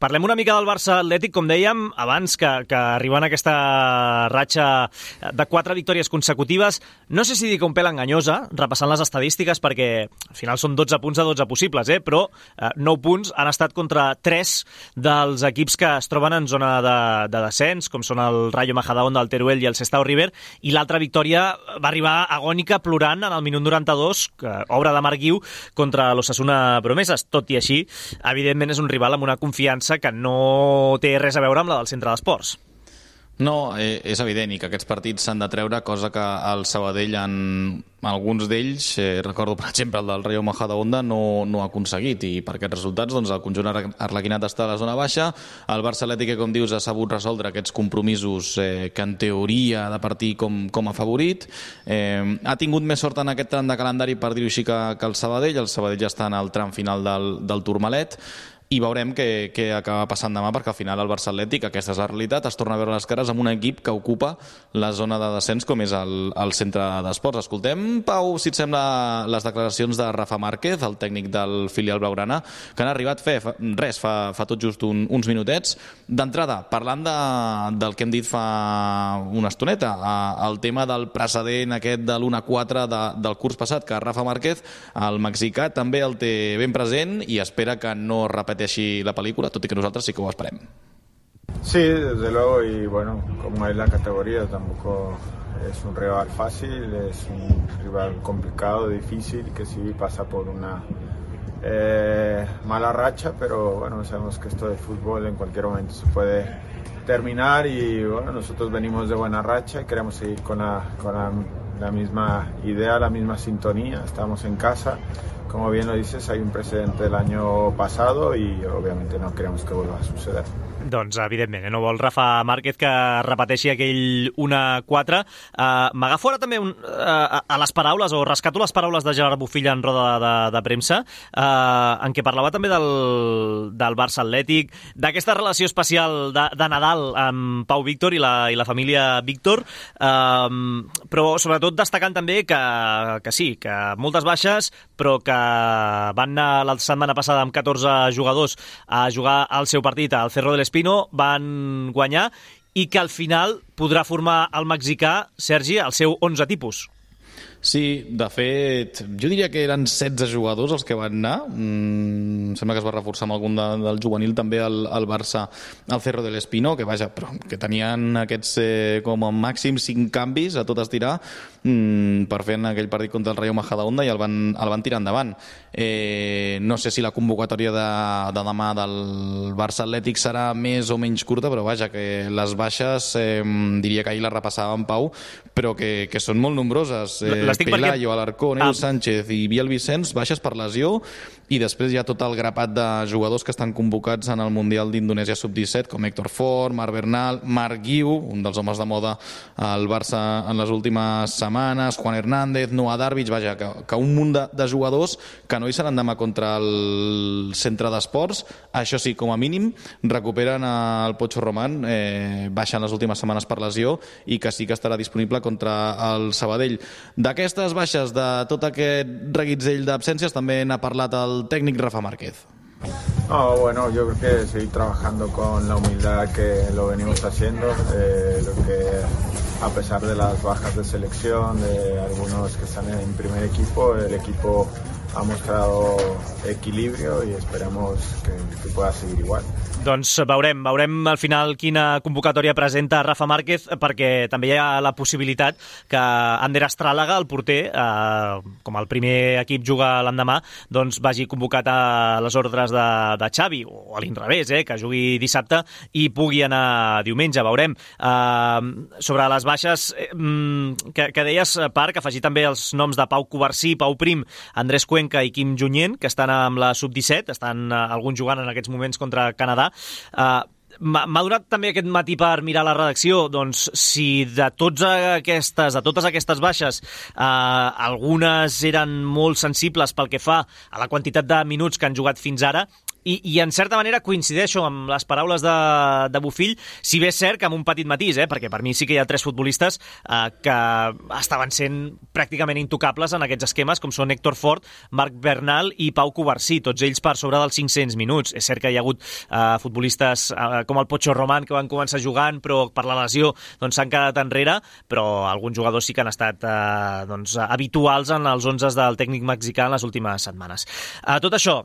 Parlem una mica del Barça Atlètic, com dèiem, abans que arribant a aquesta ratxa de 4 victòries consecutives. No sé si dic un pèl enganyosa, repassant les estadístiques, perquè al final són 12 punts de 12 possibles, però 9 punts han estat contra 3 dels equips que es troben en zona de descens, com són el Rayo Majadahonda, el Teruel i el Sestao River, i l'altra victòria va arribar agònica plorant en el minut 92, obra de Marc Guiu, contra l'Osasuna Promesas. Tot i així, evidentment és un rival amb una confiança que no té res a veure amb la del centre d'esports. No, és evident, i que aquests partits s'han de treure, cosa que el Sabadell, en alguns d'ells, recordo per exemple el del Rayo Majadahonda, no ha aconseguit, i per aquests resultats doncs, el conjunt arlequinat està a la zona baixa. El Barça Atlètic, com dius, ha sabut resoldre aquests compromisos que en teoria ha de partir com a favorit. Ha tingut més sort en aquest tram de calendari, per dir-ho així, que el Sabadell. El Sabadell ja està en el tram final del Tourmalet, i veurem què acaba passant demà, perquè al final el Barça Atlètic, aquesta és la realitat, es torna a veure les cares amb un equip que ocupa la zona de descens, com és el centre d'esports. Escoltem, Pau, si et sembla, les declaracions de Rafa Márquez, el tècnic del filial blaugrana, que han arribat fa tot just uns minutets. D'entrada, parlant del que hem dit fa una estoneta, el tema del precedent aquest de l'1-4 del curs passat, que Rafa Márquez, el mexicà, també el té ben present i espera que no repeteixi la pel·lícula, tot i que nosaltres sí que ho esperem. Sí, desde luego, y bueno, como es la categoría, tampoco es un rival fácil, es un rival complicado, difícil, que sí pasa por una mala racha, pero bueno, sabemos que esto de fútbol en cualquier momento se puede terminar y bueno, nosotros venimos de buena racha y queremos seguir con la misma idea, la misma sintonía, estamos en casa, como bien lo dices, hay un precedente del año pasado y obviamente no queremos que vuelva a suceder. Doncs, evidentment, no vol Rafa Márquez que repeteixi aquell 1-4. M'agafo ara també a les paraules, o rescato les paraules de Gerard Bofill en roda de premsa, en què parlava també del Barça Atlètic, d'aquesta relació especial de Nadal amb Pau Víctor i la família Víctor, però sobretot destacant també que sí, que moltes baixes, però que van anar la setmana passada amb 14 jugadors a jugar al seu partit al Cerro del Espino, van guanyar i que al final podrà formar el mexicà, Sergi, el seu 11 tipus. Sí, de fet, jo diria que eren 16 jugadors els que van anar. Sembla que es va reforçar amb algun del juvenil també el Barça al Cerro del Espino, que vaja, però que tenien aquests com a màxim 5 canvis a tot estirar per fer en aquell partit contra el Rayo Majadahonda i el van tirar endavant. No sé si la convocatòria de demà del Barça Atlètic serà més o menys curta, però vaja, que les baixes diria que ahir les repassava en Pau, però que són molt nombroses. Pelayo, Alarcón, Edu Sánchez i Biel Vicenç, baixes per lesió, i després hi ha tot el grapat de jugadors que estan convocats en el Mundial d'Indonèsia Sub-17, com Héctor Fort, Marc Bernal, Marc Guiu, un dels homes de moda al Barça en les últimes setmanes, Juan Hernández, Noah Darvich, vaja, que un munt de jugadors que no hi seran demà contra el centre d'esports. Això sí, com a mínim, recuperen el Pocho Román, baixen les últimes setmanes per lesió, i que sí que estarà disponible contra el Sabadell. D'aquestes baixes, de tot aquest reguitzell d'absències, també n'ha parlat el técnico Rafa Márquez. Bueno, yo creo que seguir trabajando con la humildad que lo venimos haciendo, lo que a pesar de las bajas de selección, de algunos que están en primer equipo, el equipo ha mostrado equilibrio y esperemos que pueda seguir igual. Doncs veurem al final quina convocatòria presenta Rafa Márquez, perquè també hi ha la possibilitat que Ander Astràlaga, el porter, com el primer equip juga l'endemà, doncs vagi convocat a les ordres de Xavi, o a l'inrevés, que jugui dissabte i pugui anar diumenge, veurem. Sobre les baixes que deies, Parc, afegir també els noms de Pau Covarsí, Pau Prim, Andrés Cuenca i Quim Junyent, que estan amb la Sub-17, estan alguns jugant en aquests moments contra Canadà. M'ha donat també aquest matí per mirar la redacció, doncs si de totes aquestes baixes algunes eren molt sensibles pel que fa a la quantitat de minuts que han jugat fins ara, i en certa manera coincideixo amb les paraules de Bofill, si bé és cert que amb un petit matís, perquè per mi sí que hi ha 3 futbolistes que estaven sent pràcticament intocables en aquests esquemes, com són Héctor Fort, Marc Bernal i Pau Covarsí, tots ells per sobre dels 500 minuts. És cert que hi ha hagut futbolistes com el Pocho Román que van començar jugant, però per la lesió s'han quedat enrere, però alguns jugadors sí que han estat habituals en els 11 del tècnic mexicà en les últimes setmanes. Tot això,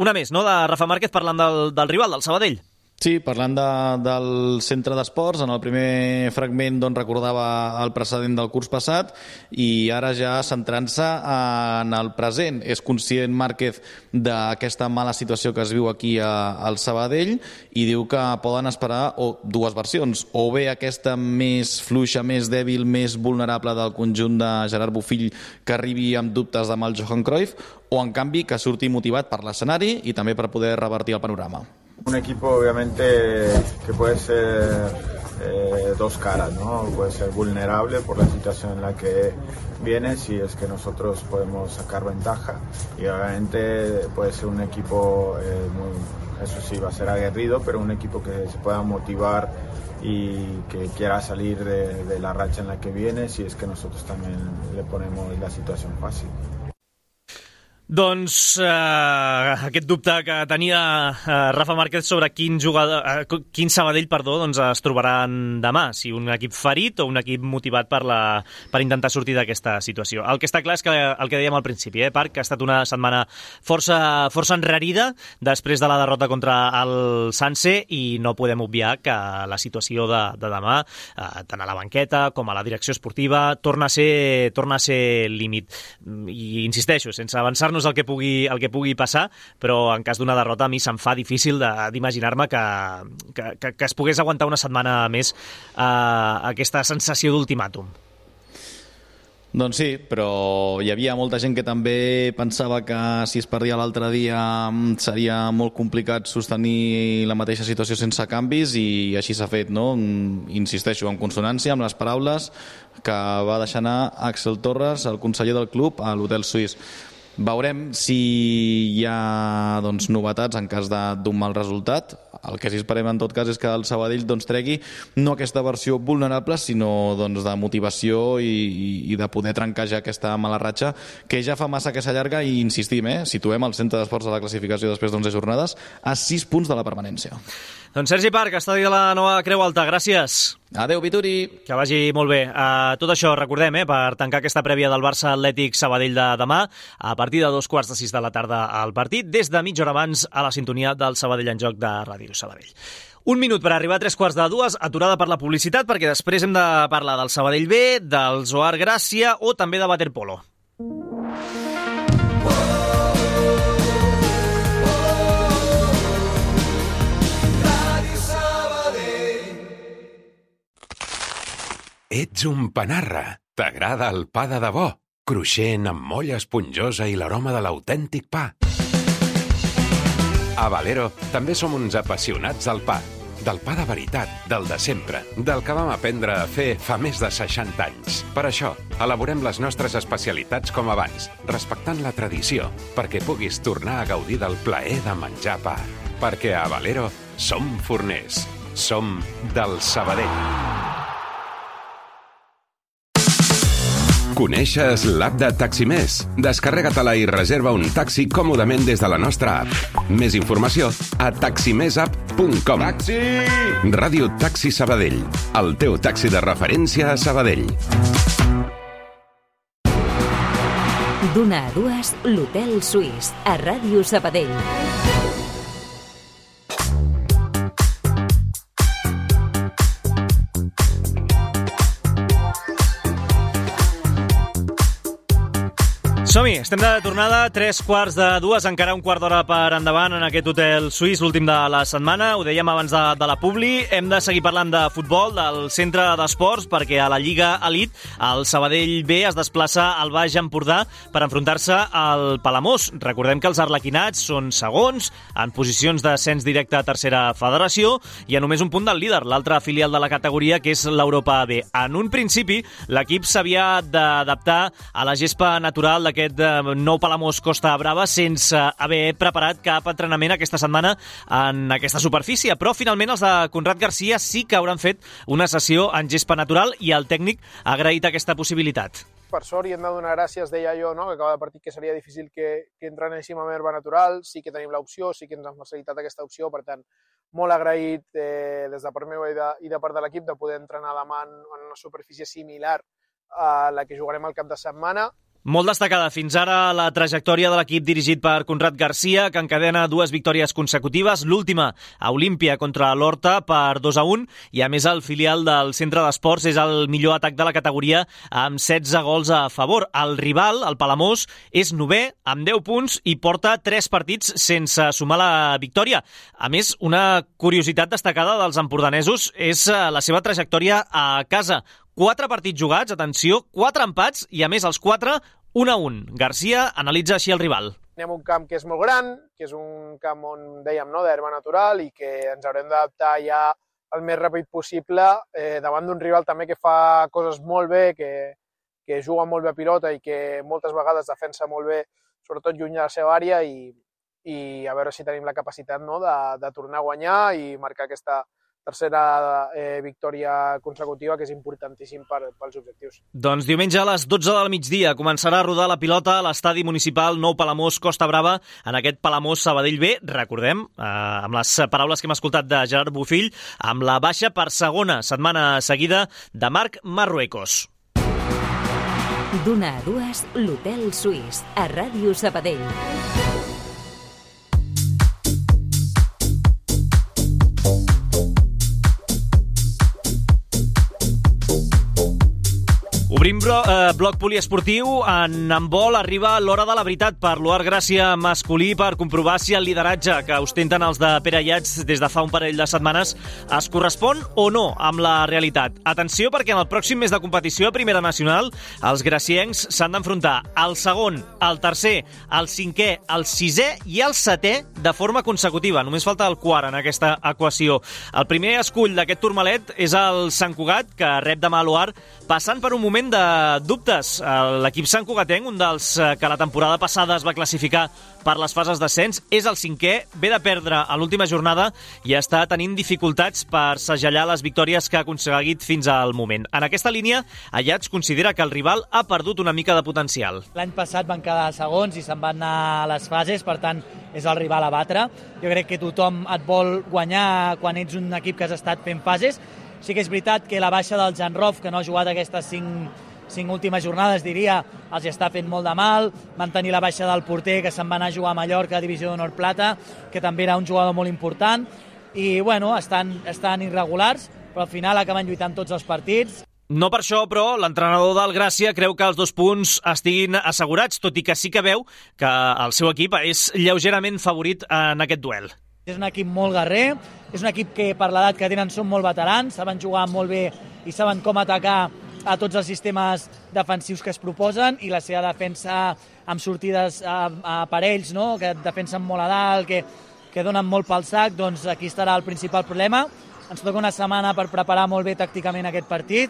una més, no?, de Rafa Márquez parlant del rival, del Sabadell. Sí, parlant del centre d'esports, en el primer fragment recordava el precedent del curs passat i ara ja centrant-se en el present. És conscient Márquez d'aquesta mala situació que es viu aquí al Sabadell i diu que poden esperar dues versions, o bé aquesta més fluixa, més dèbil, més vulnerable del conjunt de Gerard Bofill que arribi amb dubtes demà al Johan Cruyff, o en canvi que surti motivat per l'escenari i també per poder revertir el panorama. Un equipo obviamente que puede ser dos caras, ¿no? Puede ser vulnerable por la situación en la que viene, si es que nosotros podemos sacar ventaja, y obviamente puede ser un equipo eso sí, va a ser aguerrido, pero un equipo que se pueda motivar y que quiera salir de la racha en la que viene, si es que nosotros también le ponemos la situación fácil. Doncs aquest dubte que tenia Rafa Márquez sobre quin Sabadell es trobaran demà, si un equip ferit o un equip motivat per intentar sortir d'aquesta situació. El que està clar és que el que dèiem al principi, Parc, que ha estat una setmana força enrarida després de la derrota contra el Sanse, i no podem obviar que la situació de demà, tant a la banqueta com a la direcció esportiva, torna a ser límit. I insisteixo, sense avançar-nos el que pugui passar, però en cas d'una derrota a mi se'm fa difícil d'imaginar-me que es pogués aguantar una setmana més aquesta sensació d'ultimàtum. Doncs sí, però hi havia molta gent que també pensava que si es perdia l'altre dia seria molt complicat sostenir la mateixa situació sense canvis, i així s'ha fet, no? Insisteixo, en consonància amb les paraules que va deixar anar Axel Torres, el conseller del club, a l'Hotel Suís. Veurem si hi ha novetats en cas d'un mal resultat. El que sí esperem en tot cas és que el Sabadell tregui no aquesta versió vulnerable, sinó de motivació i de poder trencar ja aquesta mala ratxa que ja fa massa que s'allarga, i insistim, situem el centre d'esports de la classificació després d'11 jornades a 6 punts de la permanència. Doncs Sergi Parc, estadi de la nova Creu Alta, gràcies. Adéu, Vituri. Que vagi molt bé. Tot això, recordem, per tancar aquesta prèvia del Barça Atlètic Sabadell de demà, a partir de 2:45 de la tarda al partit, des de mitja hora abans a la sintonia del Sabadell en Joc de Ràdio Sabadell. Un minut per arribar a 2:45, aturada per la publicitat, perquè després hem de parlar del Sabadell B, del Zohar Gràcia o també de waterpolo. Ets un panarra. T'agrada el pa de debò, cruixent amb molla esponjosa i l'aroma de l'autèntic pa. A Valero també som uns apassionats del pa. Del pa de veritat, del de sempre, del que vam aprendre a fer fa més de 60 anys. Per això, elaborem les nostres especialitats com abans, respectant la tradició, perquè puguis tornar a gaudir del plaer de menjar pa. Perquè a Valero som forners. Som del Sabadell. Coneixes l'app de Taximés? Descarrega-te-la i reserva un taxi còmodament des de la nostra app. Més informació a taximesapp.com. Taxi! Ràdio Taxi Sabadell, el teu taxi de referència a Sabadell. D'una a dues, l'Hotel Suís, a Ràdio Sabadell. Som-hi, estem de tornada, 2:45, encara un quart d'hora per endavant en aquest Hotel Suís, l'últim de la setmana. Ho dèiem abans de la publi, hem de seguir parlant de futbol, del centre d'esports, perquè a la Lliga Elite el Sabadell B es desplaça al Baix Empordà per enfrontar-se al Palamós. Recordem que els arlequinats són segons, en posicions d'ascens directe a tercera federació, i a només un punt del líder, l'altra filial de la categoria, que és l'Europa B. En un principi, l'equip s'havia d'adaptar a la gespa natural d'aquest nou Palamós Costa Brava sense haver preparat cap entrenament aquesta setmana en aquesta superfície, però finalment els de Conrad Garcia sí que hauran fet una sessió en gespa natural i el tècnic ha agraït aquesta possibilitat. Per sort, i hem de donar gràcies, deia jo, no? Que acaba de partit que seria difícil que entrenéssim amb herba natural, sí que tenim l'opció, sí que ens han facilitat aquesta opció, per tant, molt agraït des de part meva i de part de l'equip de poder entrenar demà en una superfície similar a la que jugarem al cap de setmana. Molt destacada fins ara la trajectòria de l'equip dirigit per Conrad Garcia, que encadena 2 victòries consecutives, l'última a Olímpia contra l'Horta per 2-1, i a més el filial del centre d'esports és el millor atac de la categoria amb 16 gols a favor. El rival, el Palamós, és 9è amb 10 punts i porta 3 partits sense sumar la victòria. A més, una curiositat destacada dels empordanesos és la seva trajectòria a casa. 4 partits jugats, atenció, 4 empats i, a més, els 4, 1-1. Garcia analitza així el rival. Anem a un camp que és molt gran, que és un camp on, dèiem, no, d'herba natural, i que ens haurem d'adaptar ja el més ràpid possible davant d'un rival també que fa coses molt bé, que juga molt bé a pilota i que moltes vegades defensa molt bé, sobretot lluny de la seva àrea, i a veure si tenim la capacitat, no, de tornar a guanyar i marcar aquesta victòria consecutiva, que és importantíssim pels objectius. Doncs diumenge a les 12 del migdia començarà a rodar la pilota a l'estadi municipal Nou Palamós Costa Brava, en aquest Palamós Sabadell B, recordem, amb les paraules que hem escoltat de Gerard Bofill, amb la baixa per segona setmana seguida de Marc Marruecos. D'una a dues, l'Hotel Suís, a Ràdio Sabadell. Obrim bloc poliesportiu. En handbol arriba l'hora de la veritat per l'Oar Gràcia masculí per comprovar si el lideratge que ostenten els de Pere Ayats des de fa un parell de setmanes es correspon o no amb la realitat. Atenció, perquè en el pròxim mes de competició a Primera Nacional els graciencs s'han d'enfrontar al segon, al tercer, al cinquè, al sisè i al setè de forma consecutiva. Només falta el quart en aquesta equació. El primer escull d'aquest turmalet és el Sant Cugat, que rep demà l'Oar, passant per un moment de dubtes. L'equip santcugatenc, un dels que la temporada passada es va classificar per les fases d'ascens, és el cinquè, ve de perdre a l'última jornada i està tenint dificultats per segellar les victòries que ha aconseguit fins al moment. En aquesta línia, Ayats considera que el rival ha perdut una mica de potencial. L'any passat van quedar segons i se'n van anar a les fases, per tant, és el rival a batre. Jo crec que tothom et vol guanyar quan ets un equip que has estat fent fases. Sí que és veritat que la baixa del Jan Rof, que no ha jugat aquestes cinc últimes jornades, diria, els està fent molt de mal. Van tenir la baixa del porter, que se'n va anar a jugar a Mallorca, a Divisió d'Honor Plata, que també era un jugador molt important. I, bueno, estan irregulars, però al final acaben lluitant tots els partits. No per això, però, l'entrenador del Gràcia creu que els 2 punts estiguin assegurats, tot i que sí que veu que el seu equip és lleugerament favorit en aquest duel. És un equip molt guerrer, és un equip que per l'edat que tenen són molt veterans, saben jugar molt bé i saben com atacar a tots els sistemes defensius que es proposen, i la seva defensa amb sortides a parells, no? Que defensen molt a dalt, que donen molt pel sac, doncs aquí estarà el principal problema. Ens toca una setmana per preparar molt bé tàcticament aquest partit.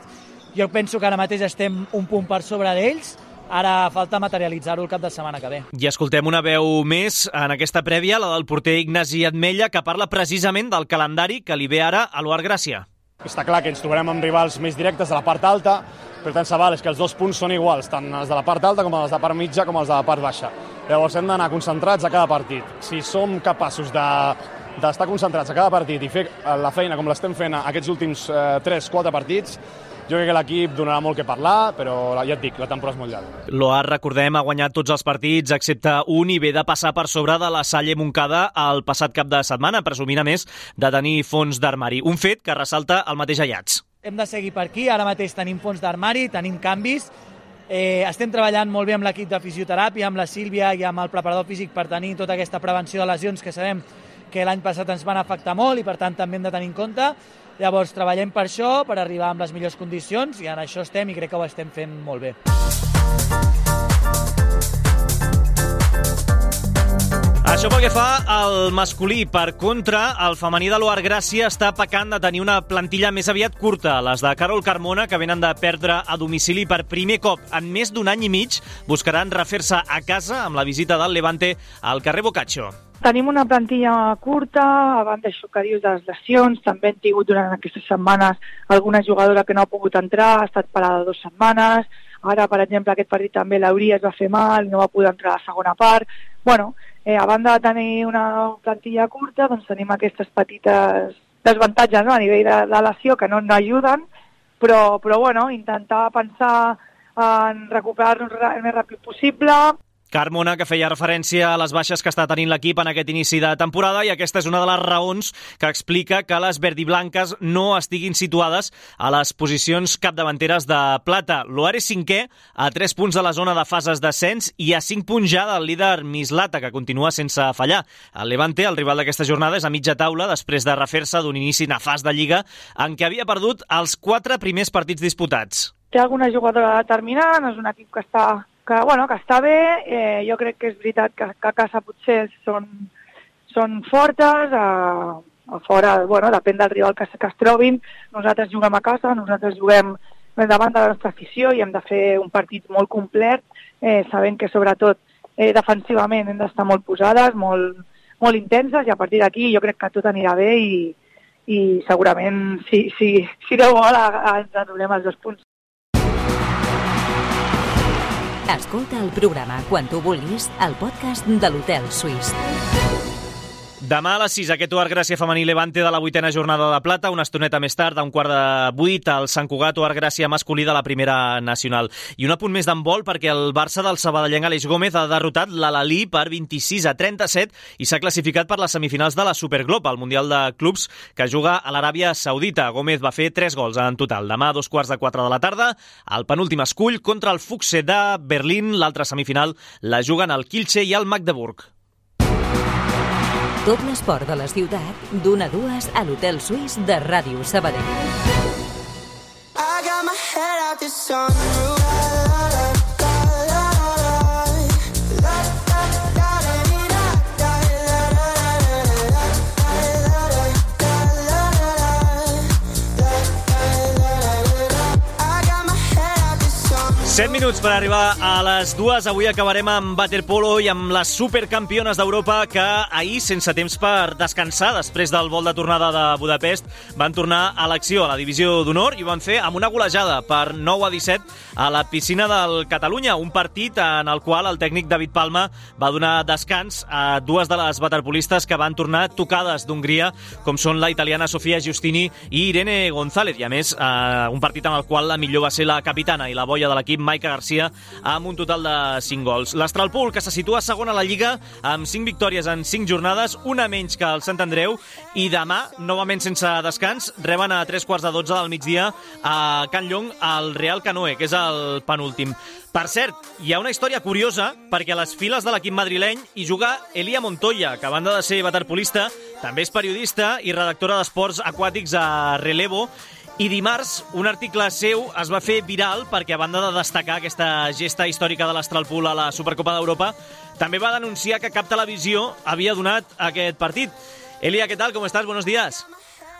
Jo penso que ara mateix estem un punt per sobre d'ells. Ara falta materialitzar-ho el cap de setmana que ve. I escoltem una veu més en aquesta prèvia, la del porter Ignasi Atmella, que parla precisament del calendari que li ve ara a l'Oar Gràcia. Està clar que ens trobarem amb rivals més directes de la part alta, però tant se val és que els 2 punts són iguals, tant els de la part alta com els de la part mitja com els de la part baixa. Llavors hem d'anar concentrats a cada partit. Si som capaços d'estar concentrats a cada partit i fer la feina com l'estem fent aquests últims 3-4 partits, jo crec que l'equip donarà molt que parlar, però ja et dic, la temporada és molt llarga. L'Oar, recordem, ha guanyat tots els partits, excepte un, i ve de passar per sobre de la Salle Montcada el passat cap de setmana, presumint a més de tenir fons d'armari. Un fet que ressalta el mateix Ayats. Hem de seguir per aquí, ara mateix tenim fons d'armari, tenim canvis, estem treballant molt bé amb l'equip de fisioteràpia, amb la Sílvia i amb el preparador físic per tenir tota aquesta prevenció de lesions que sabem que l'any passat ens van afectar molt i per tant també hem de tenir en compte. Llavors treballem per això, per arribar amb les millors condicions, i en això estem i crec que ho estem fent molt bé. Això pel que fa al masculí. Per contra, el femení de l'Oar Gràcia està pecant de tenir una plantilla més aviat curta. Les de Carol Carmona, que venen de perdre a domicili per primer cop en més d'un any i mig, buscaran refer-se a casa amb la visita del Levante al carrer Boccaccio. Tenim una plantilla curta, a banda d'això que dius de les lesions, també hem tingut durant aquestes setmanes alguna jugadora que no ha pogut entrar, ha estat parada 2 setmanes, ara, per exemple, aquest partit també l'Auria es va fer mal, no va poder entrar a la segona part. Bueno, a banda de tenir una plantilla curta, doncs tenim aquestes petites desavantatges, no?, a nivell de lesió que no ajuden, però bueno, intentar pensar en recuperar-nos el més ràpid possible. Carmona, que feia referència a les baixes que està tenint l'equip en aquest inici de temporada, i aquesta és una de les raons que explica que les verdiblanques no estiguin situades a les posicions capdavanteres de plata. L'Oar és 5è, a 3 punts de la zona de fases d'ascens i a 5 punts ja del líder Mislata, que continua sense fallar. El Levante, el rival d'aquesta jornada, és a mitja taula després de refer-se d'un inici nefast de Lliga en què havia perdut els 4 primers partits disputats. Té alguna jugadora determinant, és un equip que està bé. Jo crec que és veritat que a casa potser són fortes, a fora, depèn del rival que es trobin. Nosaltres juguem a casa, nosaltres juguem davant de la nostra afició i hem de fer un partit molt complet, sabent que sobretot defensivament hem d'estar molt posades, molt intenses, i a partir d'aquí jo crec que tot anirà bé i segurament si no vol ens anul·lem els 2 punts. Escolta el programa quan tu vulguis al podcast de l'Hotel Suís. Demà a les 6, aquest Oar Gràcia femení Levante de la 8a jornada de plata, una estoneta més tard, a 7:15, el Sant Cugat Oar Gràcia masculí de la primera nacional. I un apunt més d'handbol perquè el Barça del sabadellenc Aleix Gómez ha derrotat l'Al-Ahly per 26-37 i s'ha classificat per les semifinals de la Superglobe, el Mundial de Clubs que juga a l'Aràbia Saudita. Gómez va fer 3 gols en total. Demà a 3:15 de la tarda, el penúltim escull contra el Füchse de Berlín. L'altra semifinal la juguen el Kielce i el Magdeburg. Tot l'esport de la ciutat, d'1 a 2 a l'Hotel Suís de Ràdio Sabadell. Set minuts per arribar a les 2. Avui acabarem amb waterpolo i amb les supercampiones d'Europa que ahir, sense temps per descansar, després del vol de tornada de Budapest, van tornar a l'acció, a la divisió d'honor, i ho van fer amb una golejada per 9-17 a la piscina del Catalunya, un partit en el qual el tècnic David Palma va donar descans a 2 de les waterpolistes que van tornar tocades d'Hongria, com són la italiana Sofia Giustini i Irene González, i a més un partit en el qual la millor va ser la capitana i la boia de l'equip Maica Garcia amb un total de 5 gols. L'Astralpool, que se situa segon a la Lliga amb 5 victòries en 5 jornades, una menys que el Sant Andreu, i demà, novament sense descans, reben a 3:15 del migdia a Can Llong el Real Canoe, que és el penúltim. Per cert, hi ha una història curiosa perquè a les files de l'equip madrileny hi juga Elia Montoya, que a banda de ser waterpolista, també és periodista i redactora d'esports aquàtics a Relevo. I dimarts un article seu es va fer viral perquè, a banda de destacar aquesta gesta històrica de l'Astralpool a la Supercopa d'Europa, també va denunciar que cap televisió havia donat aquest partit. Elia, ¿qué tal? ¿Cómo estás? Buenos días.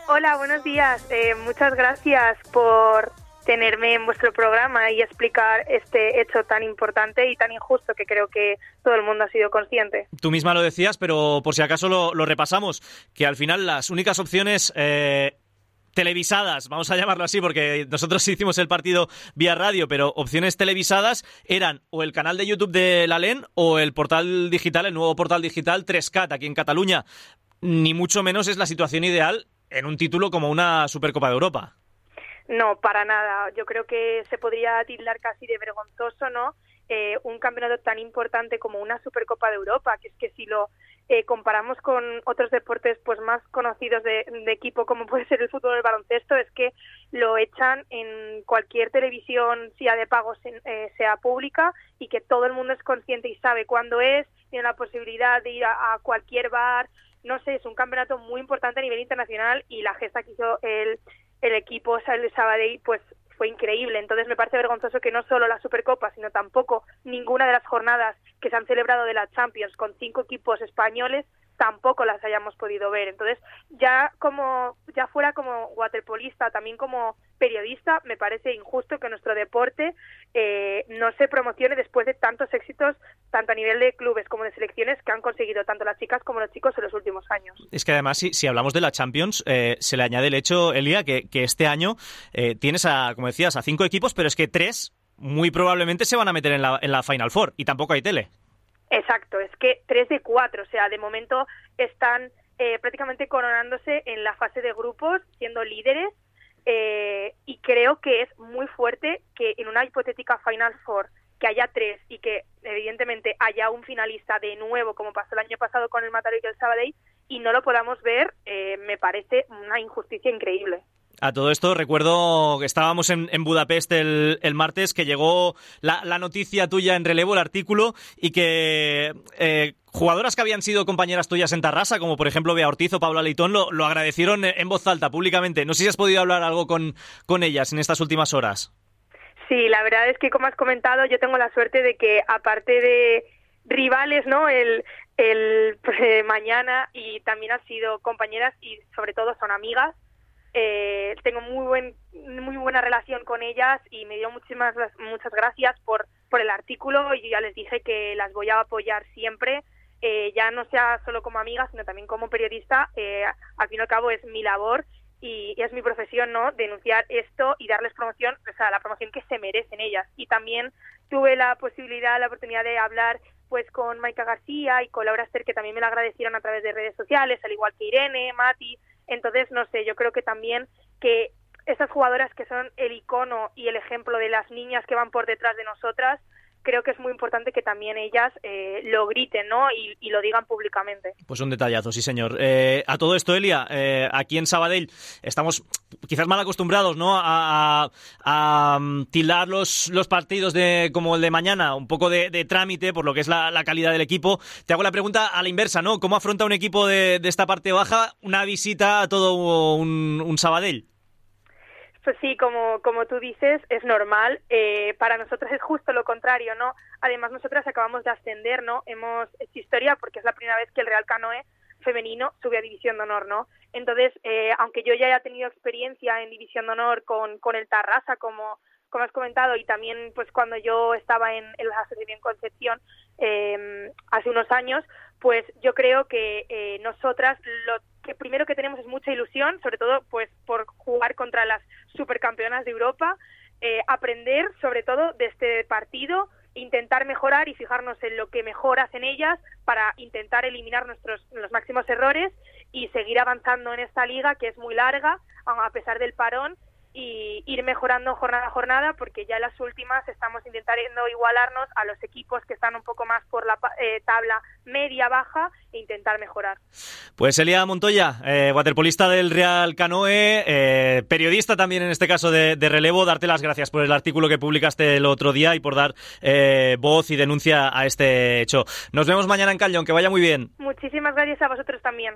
Hola, buenos días. Muchas gracias por tenerme en vuestro programa y explicar este hecho tan importante y tan injusto que creo que todo el mundo ha sido consciente. Tú misma lo decías, pero por si acaso lo repasamos, que al final las únicas opciones televisadas, vamos a llamarlo así porque nosotros hicimos el partido vía radio, pero opciones televisadas eran o el canal de YouTube de la LEN o el portal digital, el nuevo portal digital 3CAT aquí en Cataluña. Ni mucho menos es la situación ideal en un título como una Supercopa de Europa. No, para nada. Yo creo que se podría tildar casi de vergonzoso, ¿no? Un campeonato tan importante como una Supercopa de Europa, que es que si lo comparamos con otros deportes pues más conocidos de equipo, como puede ser el fútbol o el baloncesto, es que lo echan en cualquier televisión, sea de pago, sea pública, y que todo el mundo es consciente y sabe cuándo es, tiene la posibilidad de ir a cualquier bar. No sé, es un campeonato muy importante a nivel internacional y la gesta que hizo el equipo el Sabadell pues fue increíble. Entonces me parece vergonzoso que no solo la Supercopa, sino tampoco ninguna de las jornadas que se han celebrado de la Champions con 5 equipos españoles tampoco las hayamos podido ver. Entonces, ya fuera como waterpolista, también como periodista, me parece injusto que nuestro deporte no se promocione después de tantos éxitos, tanto a nivel de clubes como de selecciones, que han conseguido tanto las chicas como los chicos en los últimos años. Es que además, si hablamos de la Champions, se le añade el hecho, Elia, que este año tienes, como decías, a 5 equipos, pero es que 3 muy probablemente se van a meter en la Final Four y tampoco hay tele. Exacto, es que 3 de 4, o sea, de momento están prácticamente coronándose en la fase de grupos, siendo líderes, y creo que es muy fuerte que en una hipotética Final Four que haya 3 y que evidentemente haya un finalista de nuevo, como pasó el año pasado con el Mataró y el Sabadell, y no lo podamos ver, me parece una injusticia increíble. A todo esto, recuerdo que estábamos en Budapest el martes, que llegó la noticia tuya en Relevo, el artículo, y que jugadoras que habían sido compañeras tuyas en Tarrasa, como por ejemplo Bea Ortiz o Paula Leitón, lo agradecieron en voz alta, públicamente. No sé si has podido hablar algo con ellas en estas últimas horas. Sí, la verdad es que, como has comentado, yo tengo la suerte de que, aparte de rivales, ¿no?, el mañana, y también han sido compañeras y sobre todo son amigas. Tengo muy buena relación con ellas y me dio muchas gracias por el artículo, y yo ya les dije que las voy a apoyar siempre, ya no sea solo como amiga, sino también como periodista. Al fin y al cabo es mi labor, y es mi profesión, ¿no?, denunciar esto y darles promoción, o sea, la promoción que se merecen ellas. Y también tuve la oportunidad de hablar pues con Maika García y con Laura Ester, que también me lo agradecieron a través de redes sociales, al igual que Irene, Mati. Entonces, no sé, yo creo que también que estas jugadoras que son el icono y el ejemplo de las niñas que van por detrás de nosotras, creo que es muy importante que también ellas lo griten, ¿no?, y lo digan públicamente. Pues un detallazo, sí señor. A todo esto, Elia, aquí en Sabadell estamos quizás mal acostumbrados, ¿no?, a tildar los partidos como el de mañana, un poco de trámite por lo que es la calidad del equipo. Te hago la pregunta a la inversa, ¿no? ¿Cómo afronta un equipo de esta parte baja una visita a todo un Sabadell? Pues sí, como tú dices, es normal. Para nosotras es justo lo contrario, ¿no? Además, nosotras acabamos de ascender, ¿no? Hemos hecho historia porque es la primera vez que el Real Canoe femenino sube a División de Honor, ¿no? Entonces, aunque yo ya haya tenido experiencia en División de Honor con el Tarrasa, como has comentado, y también pues cuando yo estaba en la Asociación Concepción hace unos años, pues yo creo que nosotras lo que primero que tenemos es mucha ilusión, sobre todo pues por jugar contra las supercampeonas de Europa, aprender sobre todo de este partido, intentar mejorar y fijarnos en lo que mejor hacen ellas para intentar eliminar los máximos errores y seguir avanzando en esta liga que es muy larga, a pesar del parón, y ir mejorando jornada a jornada, porque ya en las últimas estamos intentando igualarnos a los equipos que están un poco más por la tabla media-baja e intentar mejorar. Pues Elia Montoya, waterpolista del Real Canoe, periodista también en este caso de relevo, darte las gracias por el artículo que publicaste el otro día y por dar voz y denuncia a este hecho. Nos vemos mañana en Cañón, que vaya muy bien. Muchísimas gracias a vosotros también.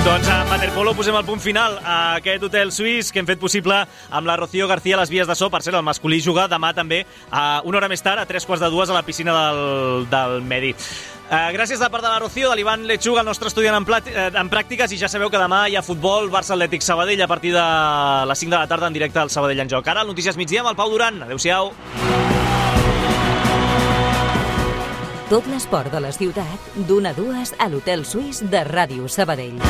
Doncs a waterpolo posem el punt final a aquest hotel suís que hem fet possible amb la Rocío García a les vies de so. Per cert, el masculí juga demà també a una hora més tard, a 3:45 a la piscina del Medi. Gràcies de part de la Rocío, de l'Ivan Lechuga, el nostre estudiant en pràctiques, i ja sabeu que demà hi ha futbol, Barça Atlètic Sabadell a partir de les 5 de la tarda en directe al Sabadell en Joc. Ara, el Notícies Migdia amb el Pau Duran. Adéu-siau. Tot l'esport de la ciutat, d'1 a 2 a l'Hotel Suís de Ràdio Sabadell.